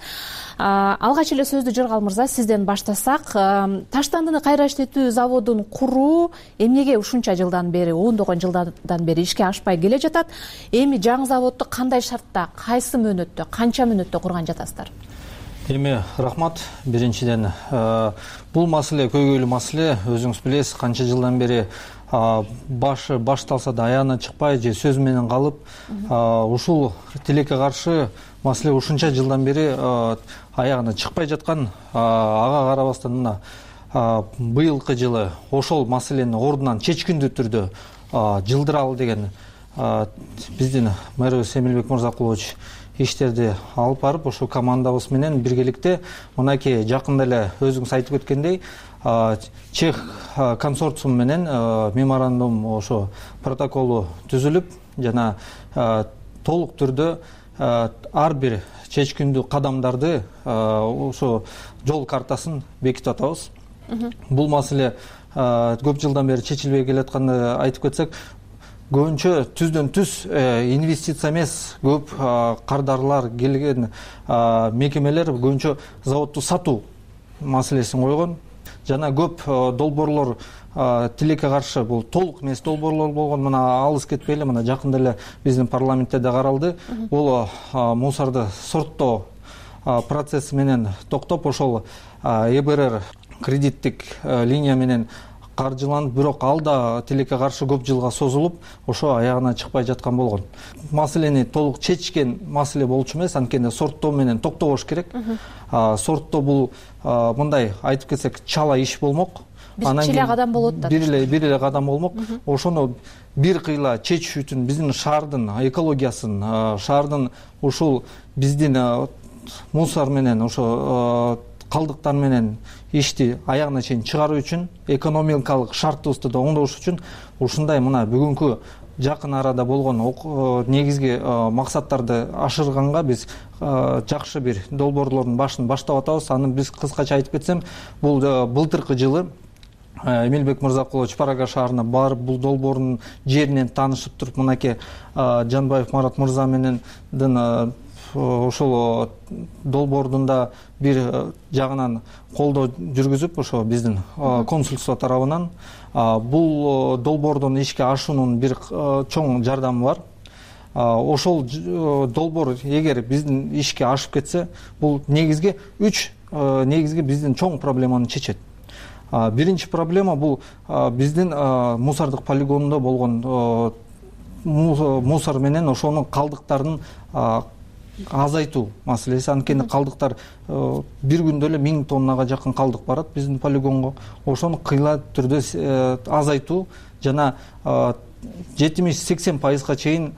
A: Алгач эле сөздү Жыргал мырза сизден баштасак, таштандыны кайра иштетүү заводун куруу эмнеге ушунча жылдан бери, ондогон жылдан бери ишке ашпай келе жатат? Эми жаңы заводду кандай шартта, кайсы мөөнөттө, канча мөөнөттө курган жатасыздар?
V: Эми рахмат. Биринчиден, бул маселе көйгөйлүү маселе. Өзүңүз билесиз, канча жылдан бери башы башталса да аягына чыкпай же сөз менен калып, ушул тилекке каршы маселе ушунча жылдан бери аягына чыкпай жаткан. Ага карабастан мына быйылкы жылы ошол маселени ордунан чечкиндүү түрдө жылдыралы деген биздин мэрибиз Эмилбек Мырзакулович иштерди алып барып, ошол командабыз менен биргеликте мынакей жакында эле өзүңүз айтып кеткендей чех консорциум менен меморандум, ошо протоколу түзүлүп, жана толук түрдө ар бир чечкиндүү кадамдарды, ошо жол картасын бекитип атабыз. Бул маселе көп жылдан бери чечилбей келатканды айтып кетсек, көбүнчө түздөн түз инвестиция эмес, көп кардарлар келген мекемелер көбүнчө заводду сатуу маселесин койгон. Жана көп долбоорлор тилекке каршы, бул толук эмес долбоорлор болгон. Мына алыс кетпейли, мына жакында эле биздин парламентте да каралды. Бул мусорду сорттоо процесси менен токтоп, ошол э бэ эр кредиттик линия менен каржыланып, бирок ал да тилекке каршы көп жылга созулуп, ошо аягына чыкпай жаткан болгон. Маселени толук чечкен маселе болчу эмес, анткени сорттоо менен токтобош керек. Сорттоо бул мындай айтып кетсек чала иш болмок.
A: Бир эле кадам болот да.
V: Бир эле бир эле кадам болмок. Ошону бир кыйла чечиш үчүн биздин шаардын экологиясын, шаардын ушул биздин мусор менен, ошо калдыктар менен ишти аягына чейин чыгаруу үчүн, экономикалык шартыбызды да оңдош үчүн ушундай мына бүгүнкү жакын арада болгон негизги максаттарды ашырганга биз жакшы бир долбоорлордун башын баштап атабыз. Аны биз кыскача айтып кетсем, бул былтыркы жылы Эмилбек Мырзакулович Парага шаарына барып, бул долбоордун жеринен таанышып туруп, мынакей Жанбаев Марат мырза менен ошол долбоордун да бир жагынан колдоо жүргүзүп, ошо биздин консульство тарабынан бул долбоордун ишке ашуунун бир чоң жардамы бар. ошол долбоор эгер биздин ишке ашып кетсе, бул негизги үч негизги биздин чоң проблеманы чечет. Биринчи проблема бул биздин мусордук полигонунда болгон мусор менен ошонун калдыктарын азайтуу маселеси. Анткени калдыктар бир күндө эле миң тоннага жакын калдык барат биздин полигонго. Ошону кыйла түрдө азайтуу жана жетимиш сексен пайызга чейин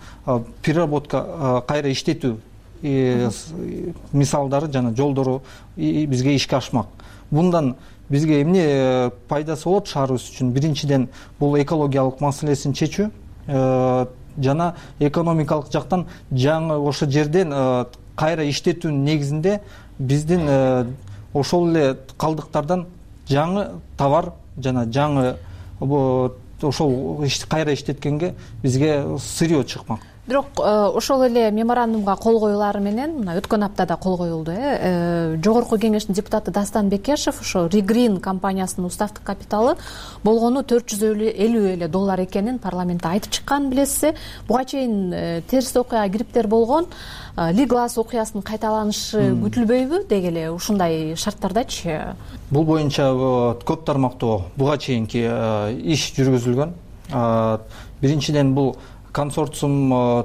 V: переработка, кайра иштетүү мисалдары жана жолдору бизге ишке ашмак. Bundan бизге эмне пайдасы болот шаарыбыз үчүн? Биринчиден, бул экологиялык маселесин чечүү жана экономикалык жактан жаңы ошо жерден кайра иштетүүнүн негизинде биздин ошол эле калдыктардан жаңы товар жана жаңы ошол кайра иштеткенге бизге сырье чыкмак.
A: Бирок ошол эле меморандумга кол коюлары менен мына өткөн аптада кол коюлду. Э Жогорку кеңештин депутаты Дастан Бекешев ошо Регрин компаниясынын уставдык капиталы болгону төрт жүз элүү эле доллар экенин парламентте айтып чыккан, билесиз. Буга чейин терс окуяга кириптер болгон. Лиглас окуясынын кайталанышы күтүлбөйбү деги эле ушундай шарттардачы?
V: Бул боюнча көп тармактуу буга чейинки иш жүргүзүлгөн. Биринчиден, бул консорциум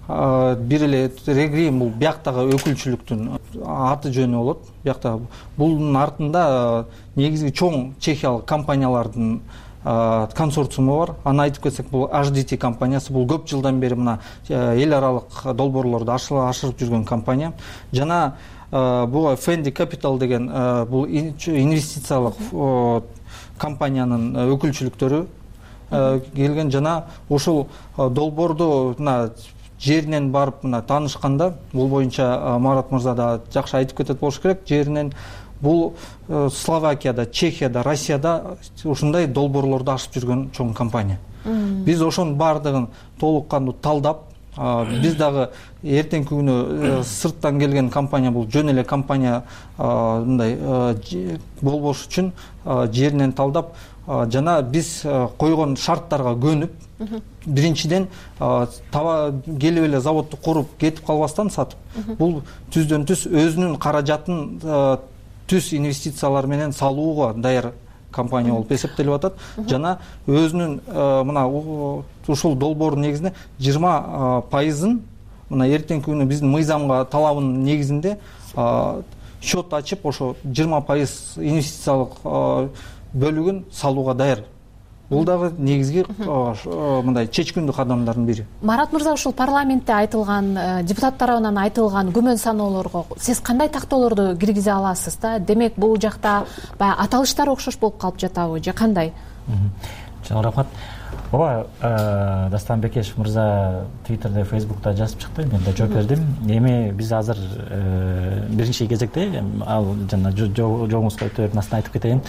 V: бир эле Регрин, бул бияктагы өкүлчүлүктүн аты жөнү болот. Биякта бунун артында негизги чоң чехиялык компаниялардын консорциуму бар. Аны айтып кетсек, бул эйч ди ти компаниясы, бул көп жылдан бери мына эл аралык долбоорлорду ашырып жүргөн компания. Жана буга Fendi Capital деген бул инвестициялык компаниянын өкүлчүлүктөрү келген. Жана ошол долбоорду мына жеринен барып мына таанышканда, бул боюнча Марат мырза да жакшы айтып кетет болуш керек. Жеринен бул Словакияда, Чехияда, Россияда ушундай долбоорлорду ашып жүргөн чоң компания. Биз ошонун баардыгын толук кандуу талдап, биз дагы эртеңки күнү сырттан келген компания, бул жөн эле компания мындай болбош үчүн жеринен талдап жана биз койгон шарттарга көнүп, биринчиден келип эле заводду куруп кетип калбастан сатып, бул түздөн түз өзүнүн каражатын түз инвестициялар менен салууга даяр компания болуп эсептелип атат. Жана өзүнүн мына ушул долбоордун негизинде жыйырма пайызын мына эртеңки күнү биздин мыйзамга талабынын негизинде счет ачып, ошо жыйырма пайыз инвестициялык бөлүгүн салууга даяр. Бул дагы негизги мындай чечкиндүү кадамдардын бири.
A: Марат мырза, ушул парламентте айтылган, депутат тарабынан айтылган күмөн саноолорго сиз кандай тактоолорду киргизе аласыз да? Демек, бул жакта баягы аталыштар окшош болуп калып жатабы же кандай?
D: Чоң рахмат. Ооба, Дастан Бекешев мырза Twitterде, Facebook'ta жазып чыкты, мен да жооп бердим. Эми биз азыр биринчи кезекте, ал жана жоңузга өтө берип астына айтып кетейин.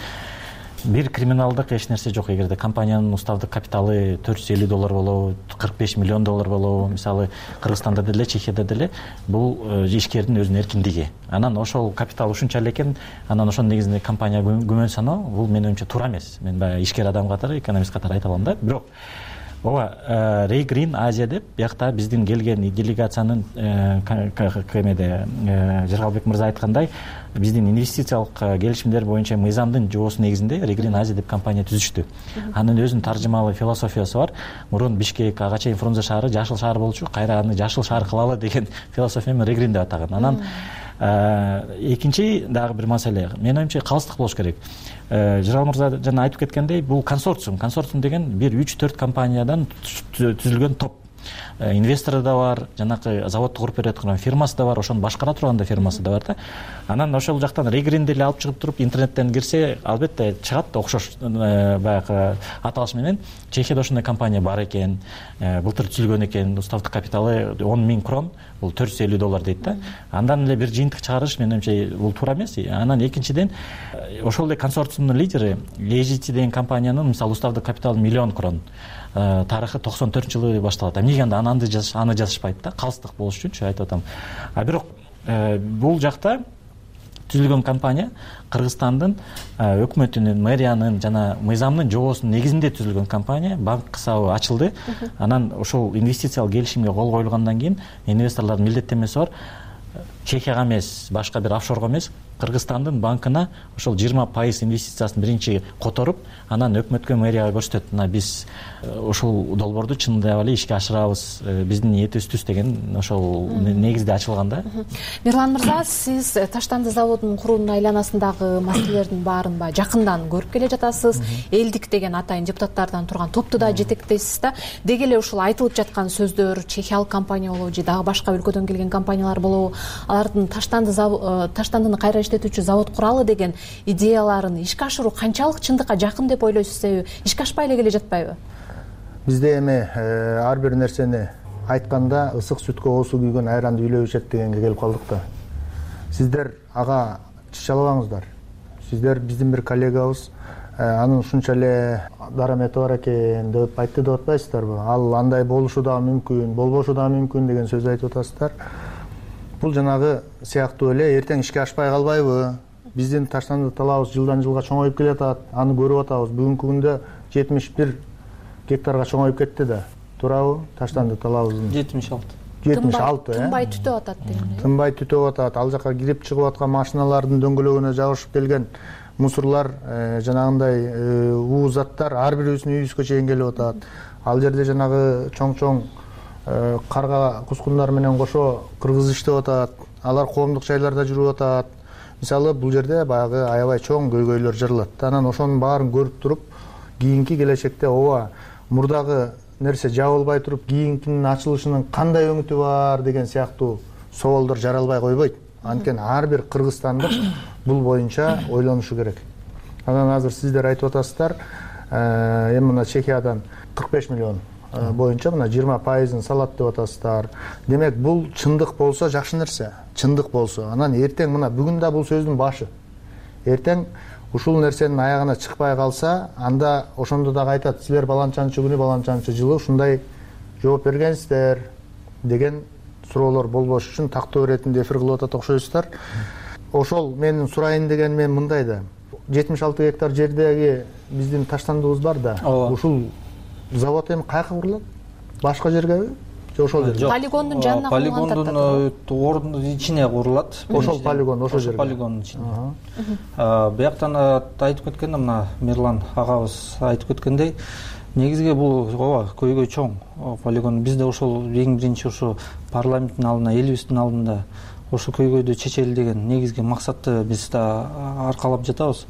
D: Бир криминалдык эч нерсе жок. Эгерде компаниянын уставдык капиталы төрт жүз элүү доллар болобу, кырк беш миллион доллар болобу, мисалы Кыргызстанда деле, Чехияда деле, бул ишкердин өзүнүн эркиндиги. Анан ошол капитал ушунча эле экен, анан ошонун негизинде компания күмөн саноо, бул менин оюмча туура эмес. Мен баягы ишкер адам катары, экономист катары айта алам да. Бирок ооба, Регрин Азия деп биякта биздин келген делегациянын кемеде Жыргалбек мырза айткандай, биздин инвестициялык келишимдер боюнча мыйзамдын жобосу негизинде Регрин Азия деп компания түзүштү. Анын өзүнүн таржымалуу философиясы бар. Мурун Бишкек, ага чейин Фрунзе шаары жашыл шаар болчу, кайра аны жашыл шаар кылалы деген философия менен Регрин деп атаган. Анан экинчи дагы бир маселе, менин оюмча калыстык болуш керек. Жыргал мырза жана айтып кеткендей, бул консорциум. Консорциум деген бир үч төрт компаниядан түзүлгөн топ. Инвестору да бар, жанакы заводду куруп бере аткан фирмасы да бар, ошону башкара турган да фирмасы да бар да. Анан ошол жактан Регринди эле алып чыгып туруп интернеттен кирсе, албетте чыгат окшош баягы аталыш менен. Чехияда ошондой компания бар экен, былтыр түзүлгөн экен, уставдык капиталы он миң крон, бул төрт жүз элүү доллар дейт да. Андан эле бир жыйынтык чыгарыш менин оюмча бул туура эмес. Анан экинчиден, ошол эле консорциумдун лидери эйч ди ти деген компаниянын мисалы уставдык капиталы миллион крон. Тарыхы токсон төртүнчү жылы башталат. Эмнеге анда аны жазышпайт да? Калыстык болуш үчүнчү айтып атам. А бирок бул жакта түзүлгөн компания Кыргызстандын өкмөтүнүн, мэриянын жана мыйзамдын жобосунун негизинде түзүлгөн компания. Банк кысабы ачылды. Анан ошол инвестициялык келишимге кол коюлгандан кийин инвесторлордун милдеттенмеси бар. Чехияга эмес, башка бир офшорго эмес, Кыргызстандын банкына ошол жыйырма пайыз инвестициясын биринчи которуп, анан өкмөткө, мэрияга көрсөтөт. Мына биз ошол долбоорду чындап эле ишке ашырабыз, биздин ниетибиз түз деген ошол негизде ачылган да.
A: Мирлан мырза, сиз Таштанды заводунун куруунун айланасындагы маселелердин баарын баягы жакындан көрүп келе жатасыз. Элдик деген атайын депутаттардан турган топту да жетектейсиз да. Деги эле ушул айтылып жаткан сөздөр, чехиялык компания болобу же дагы башка өлкөдөн келген компаниялар болобу, алардын Таштанды Таштандыны кайра иштетүүчү завод куралы деген идеяларын ишке ашыруу канчалык чындыкка жакын деп ойлойсуз, себеби ишке ашпай эле келе жатпайбы?
H: Бизде эми ар бир нерсени айтканда ысык сүткө оосу күйгөн айранды үйлөп ичет дегенге келип калдык да. Сиздер ага чычалабаңыздар. Сиздер биздин бир коллегабыз, анын ушунча эле дарамети бар экен деп айтты деп атпайсыздарбы? Ал андай болушу да мүмкүн, болбошу да мүмкүн деген сөз айтып атасыздар. Бул жанагы сыяктуу эле эртең ишке ашпай калбайбы? Биздин Таштанды талабыбыз жылдан жылга чоңоюп келатат. Аны көрүп атабыз. Бүгүнкү күндө жетимиш бир гектарга чоңоюп кетти да. Туурабы? Таштанды талабыбыздын
V: жетимиш алты.
H: жетимиш алты, э?
A: Тынбай түтөп атат деген.
H: Тынбай түтөп атат. Ал жака кирип чыгып аткан машиналардын дөңгөлөгүнө жабышып келген мусорлар, жанагындай уу заттар ар бирибиздин үйүбүзгө чейин келип атат. Ал жерде жанагы чоң-чоң карга кускундар менен кошо кыргыз иштеп атат. Алар коомдук жайларда жүрүп атат. Мисалы бул жерде баягы аябай чоң көйгөйлөр жаралат. Анан ошонун баарын көрүп туруп, кийинки келечекте ооба мурдагы нерсе жабылбай туруп, кийинкинин ачылышынын кандай өңүтү бар деген сыяктуу соолдор жаралбай койбойт. Анткени ар бир кыргызстандык бул боюнча ойлонушу керек. Анан азыр сиздер айтып атасыздар, эми мына Чехиядан кырк беш миллион боюнча мына жыйырма пайызын салат деп атасыздар. Демек бул чындык болсо жакшы нерсе. Чындык болсо, анан эртең мына бүгүн да бул сөздүн башы. Эртең ушул нерсенин аягына чыкпай калса, анда ошондо дагы айтат, силер баланчанчы күнү, баланчанчы жылы ушундай жооп бергенсиздер деген суроолор болбош үчүн тактоо иретинде эфир кылып атат окшойсуздар. Ошол менин сурайын деген мен мындай да. жетимиш алты гектар жердеги биздин Таштандыбыз бар да. Ушул завод эми каяка курулат? Башка жергеби? Же ошол жерге?
A: Полигондун жанына курулган да.
V: Полигондун ордунун ичине курулат.
H: Ошол полигон, ошол жерге.
V: Полигондун ичине. Бияктан айтып кеткенде мына Мирлан агабыз айтып кеткендей, негизги бул ооба көйгөй чоң полигон. Бизде ошол эң биринчи ошо парламенттин алдына, элибиздин алдында ошо көйгөйдү чечели деген негизги максатты биз да аркалап жатабыз.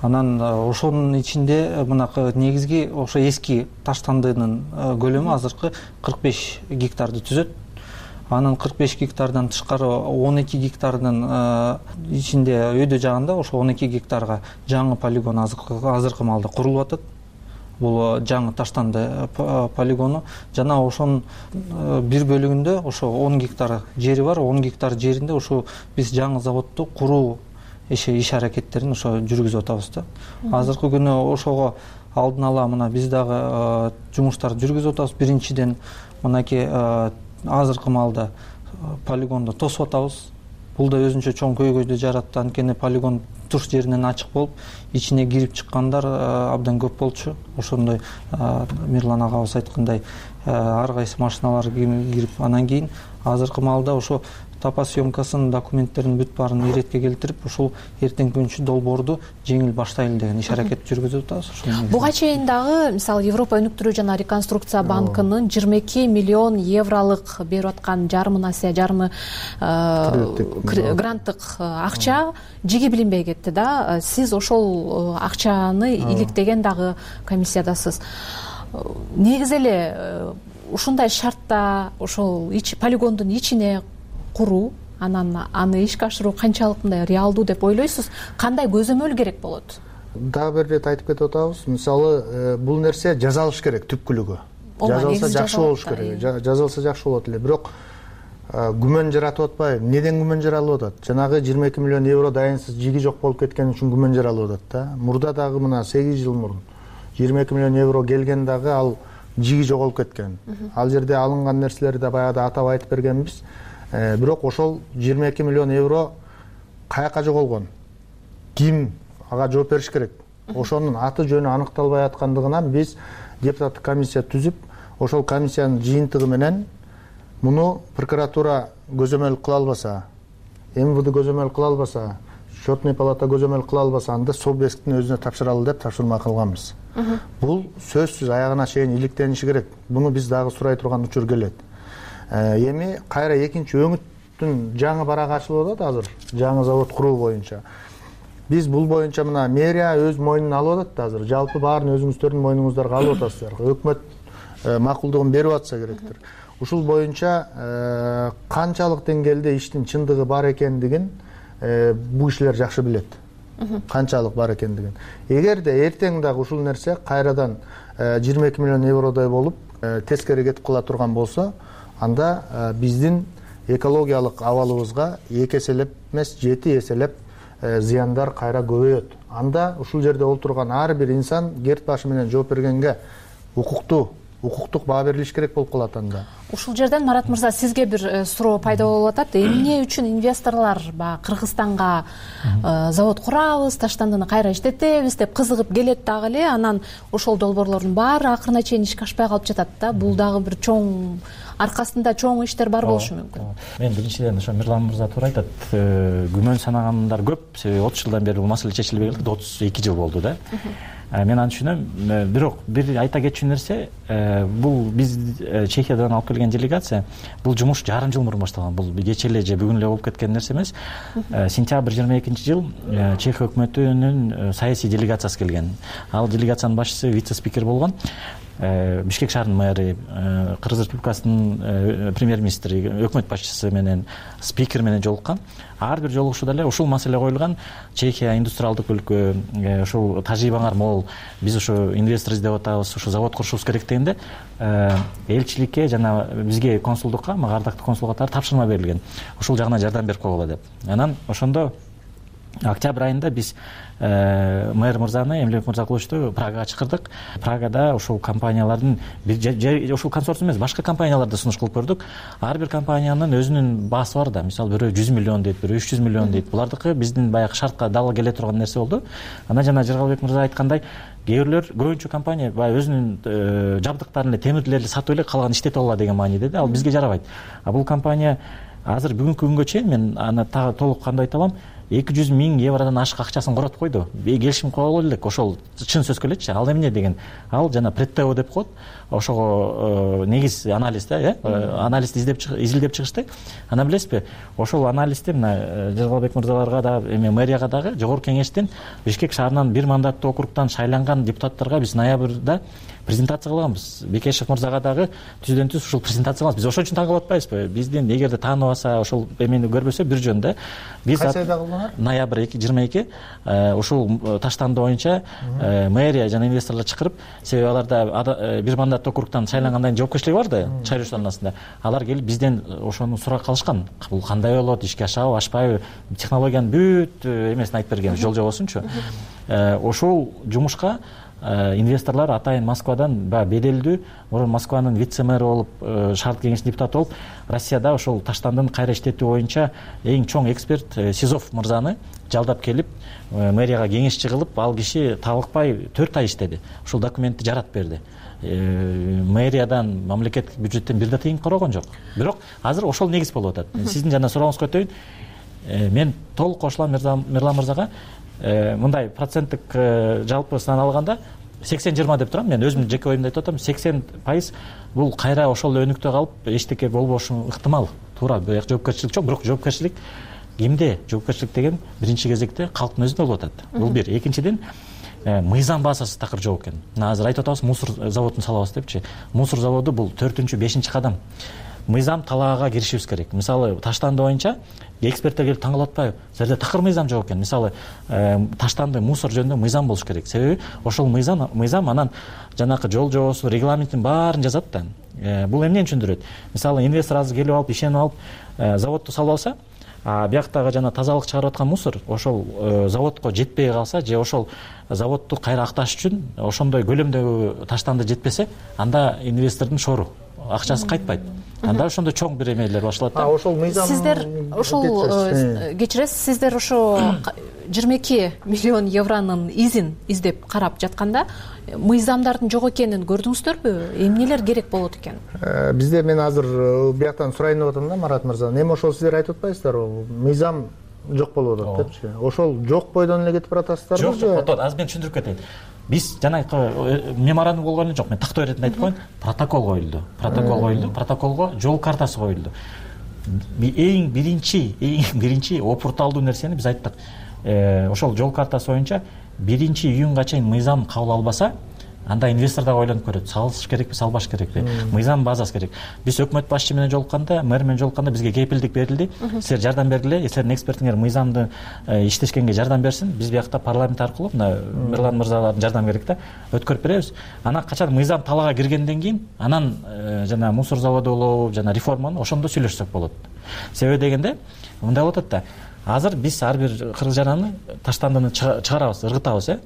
V: Анан ошонун ичинде мына негизги ошо эски Таштандынын көлөмү азыркы кырк беш гектарды түзөт. Анын кырк беш гектардан тышкары он эки гектардын ичинде өйдө жагында ошо он эки гектарга жаңы полигон азыркы маалда курулуп атат. Бул жаңы Таштанды полигону жана ошонун бир бөлүгүндө ошо он гектар жери бар. он гектар жеринде ошо биз жаңы заводду куруу иш аракеттерин ошо жүргүзүп атабыз да. Азыркы күнү ошого алдын ала мына биз дагы жумуштарды жүргүзүп атабыз. Биринчиден мынакей азыркы маалда полигонду тосуп атабыз. Бул да өзүнчө чоң көйгөйдү жаратты. Анткени полигон туш жеринен ачык болуп, ичине кирип чыккандар абдан көп болчу. Ошондой Мирлан агабыз айткандай ар кайсы машиналар кирип, анан кийин азыркы маалда ошо тапа съемкасын, документтерин бүт баарын иретке келтирип, ушул эртең күнчү долбоорду жеңил баштайлы деген иш аракет жүргүзүп атабыз.
A: Буга чейин дагы мисалы Европа өнүктүрүү жана реконструкция банкынын жыйырма эки миллион евролук берип аткан жарым насыя, жарымы гранттык акча жиги билинбей кетти да. Сиз ошол акчаны иликтеген дагы комиссиядасыз. Негизи эле ушундай шартта ошол полигондун ичине куруу, анан аны ишке ашыруу канчалык мындай реалдуу деп ойлойсуз? Кандай көзөмөл керек болот?
H: Дагы бир ирет айтып кетип атабыз. Мисалы, бул нерсе жазалыш керек түпкүлүгү. Жазалса жакшы болуш керек. Жазалса жакшы болот эле. Бирок күмөн жаратып атпайбы? Неден күмөн жаралып атат? Жанагы жыйырма эки миллион евро дайынсыз жиги жок болуп кеткен үчүн күмөн жаралып атат да. Мурда дагы мына сегиз жыл мурун жыйырма эки миллион евро келген дагы ал жиги жоголуп кеткен. Ал жерде алынган нерселерди да баягыда атап айтып бергенбиз. Бирок ошол жыйырма эки миллион евро каяка жоголгон, ким ага жооп бериш керек, ошонун аты жөнү аныкталбай аткандыгынан биз депутаттык комиссия түзүп, ошол комиссиянын жыйынтыгы менен муну прокуратура көзөмөл кыла албаса, эм вэ дэ көзөмөл кыла албаса, счетный палата көзөмөл кыла албаса, анда собесттин өзүнө тапшыралы деп тапшырма кылганбыз. Бул сөзсүз аягына чейин иликтениши керек. Буну биз дагы сурай турган учур келет. Эми кайра экинчи өңүттүн жаңы барагы ачылып атат азыр, жаңы завод куруу боюнча. Биз бул боюнча мына мэрия өз мойнуна алып атат азыр. Жалпы баарын өзүңүздөрдүн мойнуңуздарга алып атасыздар. Өкмөт макулдугун берип атса керектир. Ушул боюнча канчалык деңгээлде иштин чындыгы бар экендигин бул кишилер жакшы билет. Канчалык бар экендигин. Эгерде эртең дагы ушул нерсе кайрадан жыйырма эки миллион евродой болуп тескери кетип кала турган болсо, анда биздин экологиялык абалыбызга эки эселеп эмес, жети эселеп зыяндар кайра көбөйөт. Анда ушул жерде отурган ар бир инсан керт башы менен жооп бергенге укуктуу, укуктук баа берилиш керек болуп калат анда.
A: Ушул жерден Марат мырза сизге бир суроо пайда болуп атат. Эмне үчүн инвесторлор баягы Кыргызстанга завод курабыз, таштандыны кайра иштетебиз деп кызыгып келет дагы эле, анан ошол долбоорлордун баары акырына чейин ишке ашпай калып жатат да. Бул дагы бир чоң аркасында чоң иштер бар болушу мүмкүн.
D: Мен биринчиден ошо Мирлан мырза туура айтат. Күмөн санагандар көп. Себеби отуз жылдан бери бул маселе чечилбей келди. отуз эки жыл болду да. Мен аны түшүнөм. Бирок бир айта кетчү нерсе, бул биз Чехиядан алып келген делегация, бул жумуш жарым жыл мурун башталган. Бул кече эле же бүгүн эле болуп кеткен нерсе эмес. Сентябрь жыйырма экинчи жыл Чех өкмөтүнүн саясий делегациясы келген. Ал делегациянын башчысы вице-спикер болгон. Бишкек шаарынын мэри, Кыргыз Республикасынын премьер-министри, өкмөт башчысы менен, спикер менен жолуккан. Ар бир жолугушууда эле ушул маселе коюлган. Чехия индустриалдык өлкө, ушул тажрыйбаңар мол, биз ушу инвестор издеп атабыз, ушу завод курушубуз керек дегенде элчиликке жана бизге консулдукка, мага ардактуу консул катары тапшырма берилген. Ушул жагынан жардам берип койгула деп. Анан ошондо октябрь айында биз мэр мырзаны, Эмилбек Мырзакуловичту Прагага чакырдык. Прагада ушул компаниялардын ушул консорциум эмес, башка компанияларды сунуш кылып көрдүк. Ар бир компаниянын өзүнүн баасы бар да. Мисалы бирөө жүз миллион дейт, бирөө үч жүз миллион дейт. Булардыкы биздин баягы шартка дал келе турган нерсе болду. Анан жана Жыргалбек мырза айткандай, кээ бирлер көбүнчө компания баягы өзүнүн жабдыктарын эле, темирлерди сатып эле калган иштете алат деген мааниде да. Ал бизге жарабайт. А бул компания азыр бүгүнкү күнгө чейин мен аны тагы толук кандай айта алам, эки жүз миң евродон ашык акчасын коротуп койду. Келишим кылып элек, ошол чын сөз келечи. Ал эмне деген? Ал жана предтео деп коет. Ошого негиз анализ да, э? Анализди издеп изилдеп чыгышты. Ана билесизби? Ошол анализди мына Жыргалбек мырзаларга да, эми мэрияга дагы жогорку кеңештин Бишкек шаарынан бир мандаттуу округтан шайланган депутаттарга биз ноябрда презентация кылганбыз. Бекешев мырзага дагы түздөн түз ушул презентация кылганбыз. Биз ошон үчүн таң калып атпайбызбы? Биздин эгерде тааныбаса, ошол эмени көрбөсө бир жөн да. Биз
H: кайсы айда кылдыңар?
D: Ноябрь жыйырма эки ушул таштанды боюнча мэрия жана инвесторлор чакырып, себеби аларда бир мандаттуу округтан шайлангандан кийин жоопкерчилиги бар да, чайлоочулардын арасында. Алар келип бизден ошону сурап калышкан. Бул кандай болот, ишке ашабы, ашпайбы, технологиянын бүт эмесин айтып берген, жол жобосунчу. Ошол жумушка инвесторлор атайын Москвадан беделдүү, мурун Москванын вице-мэрі болуп, шаардык кеңештин депутаты болуп, Россияда ошол таштандын кайра иштетүү боюнча эң чоң эксперт Сизов мырзаны жалдап келип, мэрияга кеңешчи кылып, ал киши табылыкпай төрт ай иштеди. Ошол документти жаратып берди. Мэриядан, мамлекеттик бюджеттен бир да тыйын корогон жок. Бирок азыр ошол негиз болуп атат. Сиздин жана сурооңузга өтөйүн. Мен толук кошулам Мирлан мырзага. Мындай проценттик жалпы сан алганда сексен жыйырма деп турам. Мен өзүмдүн жеке оюмду айтып атам. сексен пайыз бул кайра ошол өнүктө калып, эчтеке болбошу ыктымал. Туура, бирок жоопкерчилик жок. Бирок жоопкерчилик кимде? Жоопкерчилик деген биринчи кезекте калктын өзүндө болуп атат. Бул бир. Экинчиден, мыйзам базасы такыр жок экен. Мына азыр айтып атабыз, мусор заводун салабыз депчи. Мусор заводу бул төртүнчү, бешинчи кадам. Мыйзам талаага киришибиз керек. Мисалы, таштанды боюнча эксперттер келип таң калып атпайбы? Силерде такыр мыйзам жок экен. Мисалы, таштанды мусор жөнүндө мыйзам болуш керек. Себеби ошол мыйзам мыйзам анан жанакы жол жобосу, регламенттин баарын жазат да. Бул эмнени түшүндүрөт? Мисалы, инвестор азыр келип алып, ишенип алып, заводду салып алса, а бияктагы жана тазалык чыгарып аткан мусор ошол заводко жетпей калса, же ошол заводду кайра акташ үчүн ошондой көлөмдөгү таштанды жетпесе, анда инвестордун шору, акчасы кайтпайт. анда ошондо чоң бир эмелер башталат да.
H: Ошол мыйзам
A: сиздер ошол кечиресиз, сиздер ошо жыйырма эки миллион евронун изин издеп карап жатканда мыйзамдардын жок экенин көрдүңүздөрбү? Эмнелер керек болот экен?
H: Бизде мен азыр бияктан сурайын деп атам да, Марат мырза. Эми ошол сиздер айтып атпайсыздарбы? Мыйзам жок болуп атат депчи. Ошол жок бойдон эле кетип баратасыздарбы?
D: Жок, жок. Азыр мен түшүндүрүп кетейин. Биз жанагы меморандум болгон эле жок. Мен тактоо иретинде айтып коеюн. Протокол коюлду. Протокол коюлду. Протоколго жол картасы коюлду. Эң биринчи, эң биринчи опурталдуу нерсени биз айттык. Ошол жол картасы боюнча биринчи июнга чейин мыйзам кабыл албаса, анда инвестор дагы ойлонуп көрөт. Салыш керекпи, салбаш керекпи? Мыйзам базасы керек. Биз өкмөт башчы менен жолукканда, мэр менен жолукканда бизге кепилдик берилди. Силер жардам бергиле, силердин экспертиңер мыйзамды иштешкенге жардам берсин. Биз биякта парламент аркылуу мына Мирлан мырзалардын жардам керек да, өткөрүп беребиз. Анан качан мыйзам талаага киргенден кийин, анан жана мусор заводу болобу, жана реформаны ошондо сүйлөшсөк болот. Себеби дегенде, мындай болуп атат да. Азыр биз ар бир кыргыз жараны таштандыны чыгарабыз, ыргытабыз, э.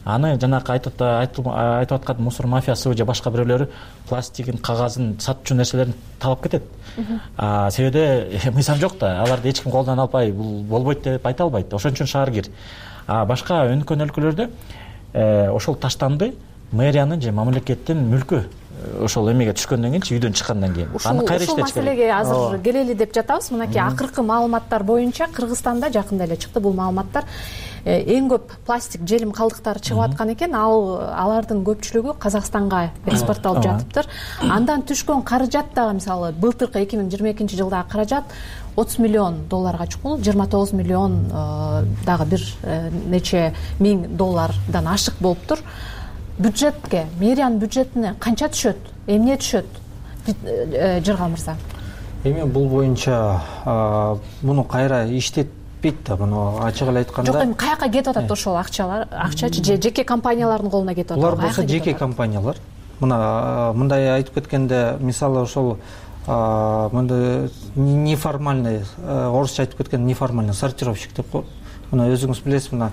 D: Аны жанакы айтып айтып аткан мусор мафиясы же башка бирөөлөрү пластигин, кагазын, сатчу нерселерин талап кетет. А себеби мыйзам жок да, аларды эч ким колдон албай, бул болбойт деп айта албайт. Ошон үчүн шаар кир. А башка өнүккөн өлкөлөрдө ошол таштанды мэриянын же мамлекеттин мүлкү. Ошол эмеге түшкөндөн кийин, үйдөн чыккандан кийин аны кайра иштетиш керек.
A: Ушул маселеге азыр келели деп жатабыз. Мынакей акыркы маалыматтар боюнча Кыргызстанда жакында эле чыкты бул маалыматтар. Эң көп пластик желим калдыктары чыгып аткан экен. Ал алардын көпчүлүгү Казакстанга экспортталып жатыптыр. Андан түшкөн каражат дагы, мисалы, былтыркы эки миң жыйырма экинчи жылдагы каражат отуз миллион долларга чукул, жыйырма тогуз миллион дагы бир нече миң доллардан ашык болуптур. Бюджетке, мэриянын бюджетине канча түшөт? Эмне түшөт? Жыргал мырза.
V: Эми бул боюнча муну кайра иштетпейт да, муну ачык эле айтканда.
A: Жок, эми каяка кетип атат ошол акчалар? Акчачы же жеке компаниялардын колуна кетип атат?
V: Булар болсо жеке компаниялар. Мына мындай айтып кеткенде, мисалы ошол мындай неформальный, орусча айтып кеткенде неформальный сортировщик деп коет. Мына өзүңүз билесиз, мына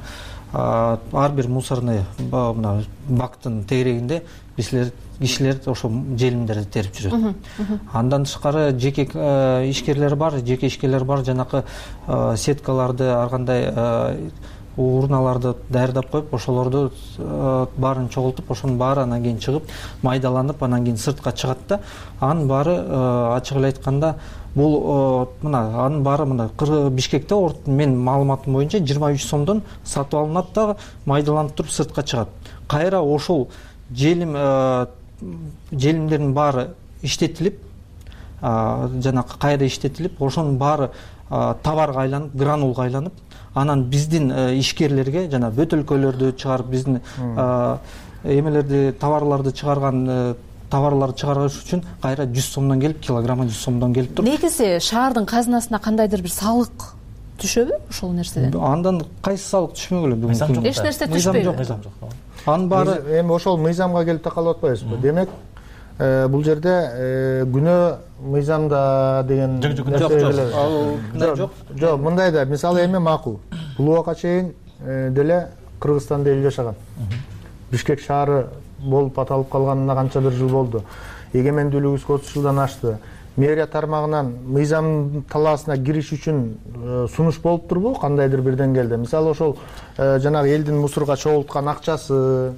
V: ар бир мусорный мына бактын тегерегинде бизлер кишилер ошол желимдерди терип жүрөт. Андан тышкары жеке ишкерлер бар, жеке ишкерлер бар, жанакы сеткаларды, ар кандай урналарды даярдап коюп, ошолорду баарын чогултуп, ошонун баары анан кийин чыгып, майдаланып, анан кийин сыртка чыгат да. Анын баары ачык эле айтканда бул мына анын баары мына Бишкекте мен маалыматым боюнча жыйырма үч сомдон сатып алынат да, майдаланып туруп сыртка чыгат. Кайра ошол желим желимдердин баары иштетилип, жанакы кайра иштетилип, ошонун баары товарга айланып, гранулга айланып, анан биздин ишкерлерге жана бөтөлкөлөрдү чыгарып, биздин эмелерди, товарларды чыгарган товарларды чыгарыш үчүн кайра жүз сомдон келип, килограмма жүз сомдон келип туруп.
A: Негизи шаардын казынасына кандайдыр бир салык түшөбү ошол нерседен?
V: Андан кайсы салык түшмөгүлө бүгүнкү?
A: Эч нерсе түшпөйбү?
V: Мыйзам жок. Анын баары
H: эми ошол мыйзамга келип такалып атпайбызбы? Демек, бул жерде күнөө мыйзамда деген
V: нерсе жок.
H: Жок, мындай да, мисалы эми макул. Бул убакка чейин деле Кыргызстанда эл жашаган. Бишкек шаары болуп аталып калганына канча бир жыл болду. Эгемендүүлүгүбүз отуз жылдан ашты. Мэрия тармагынан мыйзам талаасына кириш үчүн сунуш болуп турбу? Кандайдыр бир деңгээлде. Мисалы ошол жанагы элдин мусорго чогулткан акчасы,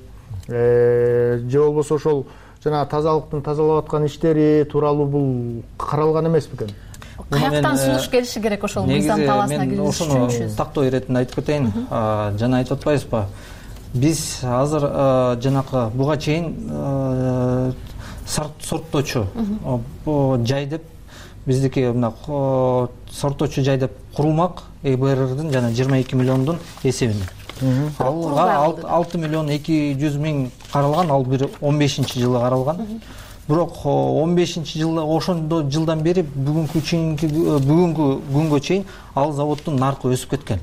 H: же болбосо ошол жана тазалыктын тазалап аткан иштери тууралуу бул каралган эмес бекен?
A: Каяктан сунуш келиши керек ошол мыйзам талаасына кириш үчүн?
V: Ошону тактоо иретинде айтып кетейин. Жана айтып атпайбызбы? Биз азыр жанакы буга чейин сорттоочу жай деп биздики мына сорттоочу жай деп курулмак э бэ эрдин жана жыйырма эки миллиондун эсебинде. Алга алты миллион эки жүз миң каралган, ал бир он бешинчи жылы каралган. Бирок он бешинчи жылда ошондо жылдан бери бүгүнкү бүгүнкү күнгө чейин ал заводдун наркы өсүп кеткен.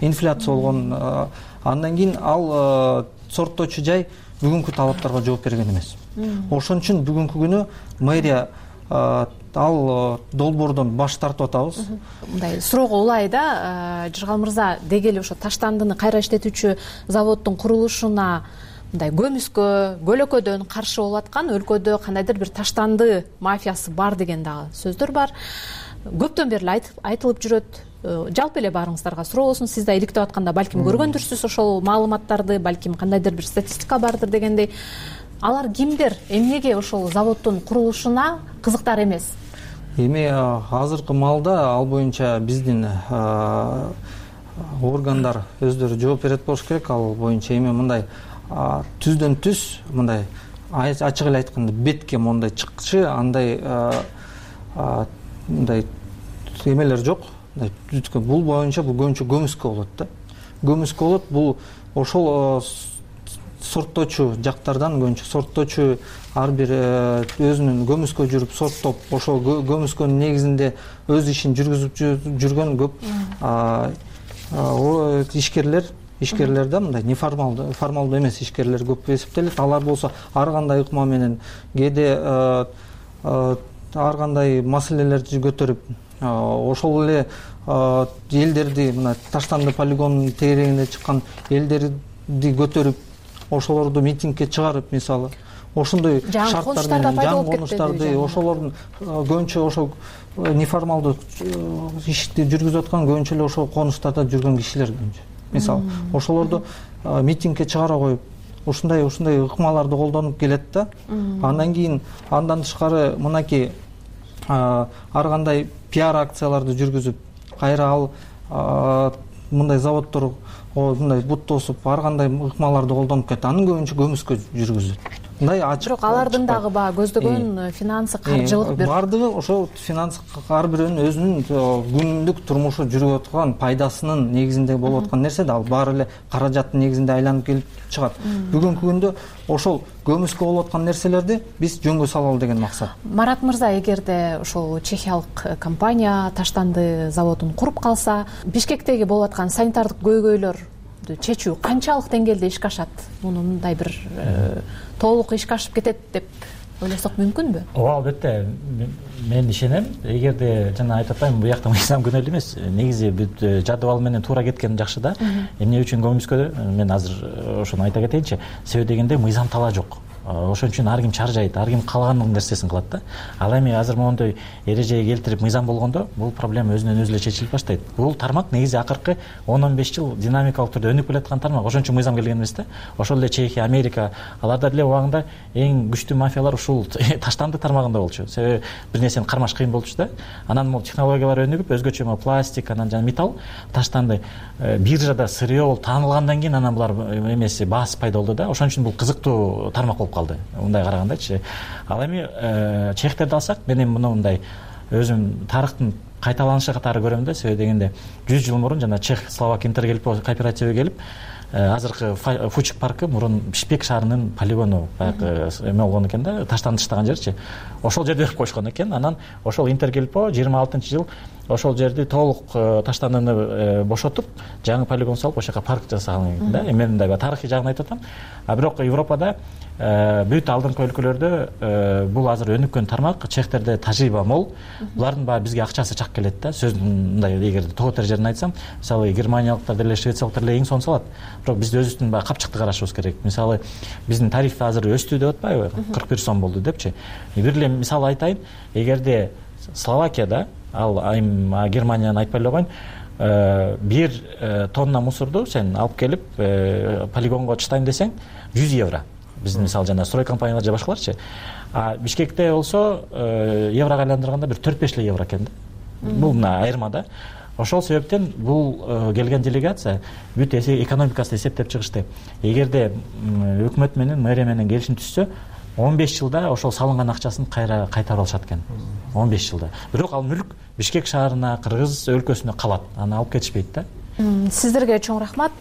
V: Инфляция болгон. Андан кийин ал сорттоочу жай бүгүнкү талаптарга жооп берген эмес. Ошон үчүн бүгүнкү күнү мэрия ал долбоордон баш тартып атабыз.
A: Мындай суроого улай да, Жыргал мырза, деги эле ошо таштандыны кайра иштетүүчү заводдун курулушуна мындай көмүскө көлөкөдөн каршы болуп аткан өлкөдө кандайдыр бир таштанды мафиясы бар деген дагы сөздөр бар. Көптөн бери айтылып жүрөт. Жалпы эле баарыңыздарга суроо болсун, сиз да иликтеп атканда балким көргөндүрсүз ошол маалыматтарды, балким кандайдыр бир статистика бардыр дегендей. Алар кимдер? Эмнеге ошол заводдун курулушуна кызыктар эмес?
V: Эми азыркы маалда ал боюнча биздин органдар өздөрү жооп берет болуш керек. Ал боюнча эми мындай түздөн түз мындай ачык эле айтканда бетке мондай чыкчы андай мындай эмелер жок. Бул боюнча бул көбүнчө көмүскө болот да. Көмүскө болот. Бул ошол сорттоочу жактардан көбүнчө сорттоочу ар бир өзүнүн көмүскө жүрүп сорттоп ошол көмүскөнүн негизинде өз ишин жүргүзүп жүргөн көп ишкерлер ишкерлер да мындай неформалдуу формалдуу эмес ишкерлер көп эсептелет. Алар болсо ар кандай ыкма менен кээде ар кандай маселелерди көтөрүп ошол эле элдерди мына таштанды полигонунун тегерегине чыккан элдерди көтөрүп ошолорду митингге чыгарып мисалы ошондой шарттар менен жаңы конуштарды ошолордун көбүнчө ошол неформалдуу ишти жүргүзүп аткан көбүнчө эле ошол конуштарда жүргөн кишилер көбүнчө мисалы ошолорду митингге чыгара коюп ушундай ушундай ыкмаларды колдонуп келет да. Андан кийин андан тышкары мынакей ар кандай пиар акцияларды жүргүзүп кайра ал мындай заводдор мындай бут тосуп ар кандай ыкмаларды колдонуп кетти. Анын көбүнчө көмүскө жүргүзүлөт. Мындай ачык.
A: Бирок алардын дагы баягы көздөгөн финансы, каржылык бир
V: бардыгы ошол финанс ар бирөөнүн өзүнүн күнүмдүк турмушу жүрүп аткан пайдасынын негизинде болуп аткан нерсе да ал баары эле каражаттын негизинде айланып келип чыгат. Бүгүнкү күндө ошол көмүскө болуп аткан нерселерди биз жөнгө салалы деген максат.
A: Марат мырза, эгерде ошол чехиялык компания таштанды заводун куруп калса, Бишкектеги болуп аткан санитардык көйгөйлөр чечүү канчалык деңгээлде ишке ашат? Муну мындай бир толук ишке ашып кетет деп ойлосок мүмкүнбү?
D: Ооба, албетте. Мен ишенем. Эгерде жана айтып атпаймынбы, бу жакта мыйзам күнөөлүү эмес. Негизи бүт жадыбал менен туура кеткен жакшы да. Эмне үчүн көмүскө мен азыр ошону айта кетейинчи. Себеби дегенде мыйзам тала жок. Ошон үчүн ар ким чаржайт, ар ким каалаган нерсесин кылат да. Ал эми азыр моундай эрежеге келтирип мыйзам болгондо бул проблема өзүнөн өзү эле чечилип баштайт. Бул тармак негизи акыркы он он беш жыл динамикалык түрдө өнүп келаткан тармак. Ошон үчүн мыйзам келген эмес да. Ошол эле Чехия, Америка, аларда деле убагында эң күчтүү мафиялар ушул таштанды тармагында болчу. Себеби бир нерсени кармаш кыйын болчу да. Анан могу технологиялар өнүгүп, өзгөчө могу пластик, анан жана металл, таштанды биржада сырье болуп таанылгандан кийин анан булар эмеси баасы пайда болду да. Ошон үчүн бул кызыктуу тармак болуп калды. Мындай карагандачы. Ал эми чехтерди алсак, мен эми муну мындай өзүм тарыхтын кайталанышы катары көрөм да. Себеби дегенде жүз жыл мурун жана чех словак интергелип кооперативи келип азыркы Фучик паркы мурун Бишкек шаарынын полигону баягы эме болгон экен да, таштанды таштаган жерчи. Ошол жерде берип койушкан экен. Анан ошол Интергелпо жыйырма алтынчы жыл ошол жерди толук таштандыны бошотуп, жаңы полигон салып, ошол жака парк жасаган экен да. Мен мындай тарыхый жагын айтып атам. А бирок Европада бүт алдыңкы өлкөлөрдө бул азыр өнүккөн тармак, чехтерде тажрыйба мол. Булардын баягы бизге акчасы чак келет да. Сөздүн мындай эгерде тоо тережерин айтсам, мисалы германиялыктар деле, швециялыктар деле эң сонун салат. Бирок биз өзүбүздүн баягы капчыкты карашыбыз керек. Мисалы биздин тариф азыр өстү деп атпайбы? кырк бир сом болду депчи. Бир эле мисал айтайын. Эгерде Словакияда, ал айым Германияны айтпай эле коеюн, бир тонна мусорду сен алып келип полигонго таштайм десең жүз евро. Биздин мисалы жана строй компаниялар же башкаларчы. А Бишкекте болсо еврого айландырганда бир төрт беш эле евро экен да. Бул мына айырма да. Ошол себептен бул келген делегация бүт экономикасын эсептеп чыгышты. Эгерде өкмөт менен, мэрия менен келишим түзсө, он беш жылда ошол салынган акчасын кайра кайтарып алышат экен. он беш жылда. Бирок ал мүлк Бишкек шаарына, Кыргыз өлкөсүнө калат. Аны алып кетишпейт да.
A: Сиздерге чоң рахмат.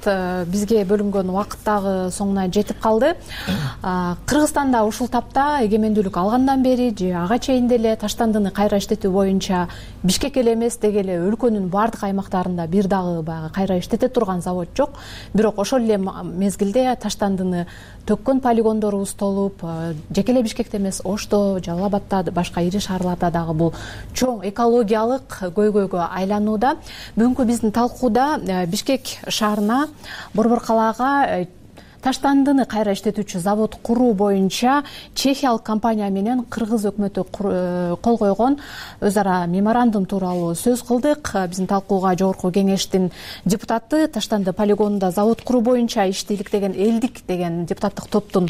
A: Бизге бөлүнгөн убакыт дагы соңуна жетип калды. Кыргызстанда ушул тапта эгемендүүлүк алгандан бери же ага чейин деле таштандыны кайра иштетүү боюнча Бишкек эле эмес, деги эле өлкөнүн бардык аймактарында бир дагы баягы кайра иштете турган завод жок. Бирок ошол эле мезгилде таштандыны төккөн полигондорубуз толуп, жеке эле Бишкекте эмес, Ошто, Жалал Абадта, башка ири шаарларда дагы бул чоң экологиялык көйгөйгө айланууда. Бүгүнкү биздин талкууда Бишкек шаарына, Борбор калаага таштандыны кайра иштетүүчү завод куруу боюнча чехиялык компания менен кыргыз өкмөтү кол койгон өз ара меморандум тууралуу сөз кылдык. Биздин талкууга жогорку кеңештин депутаты, таштанды полигонунда завод куруу боюнча ишти иликтеген элдик деген депутаттык топтун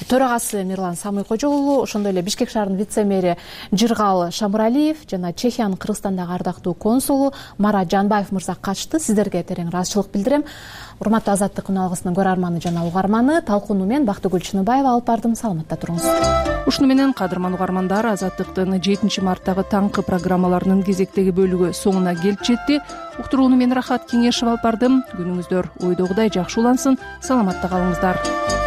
A: төрагасы Мирлан Самый-Кожо уулу, ошондой эле Бишкек шаарынын вице-мэри Жыргал Шамуралиев жана Чехиянын Кыргызстандагы ардактуу консулу Марат Жанбаев мырза катышты. Сиздерге терең ыраазычылык билдирем. Урматтуу Азаттык күнүалгысынын көрөрманы жана угарманы, талкууну мен Бактыгүл Чыныбаева алып бардым. Саламатта туруңуз.
B: Ушуну менен кадырман угармандар, Азаттыктын жетинчи марттагы таңкы программаларынын кезектеги бөлүгү соңуна келип жетти. Уктурууну мен Рахат Кеңешев алып бардым. Күнүңүздөр ойдогудай жакшы улансын. Саламатта калыңыздар.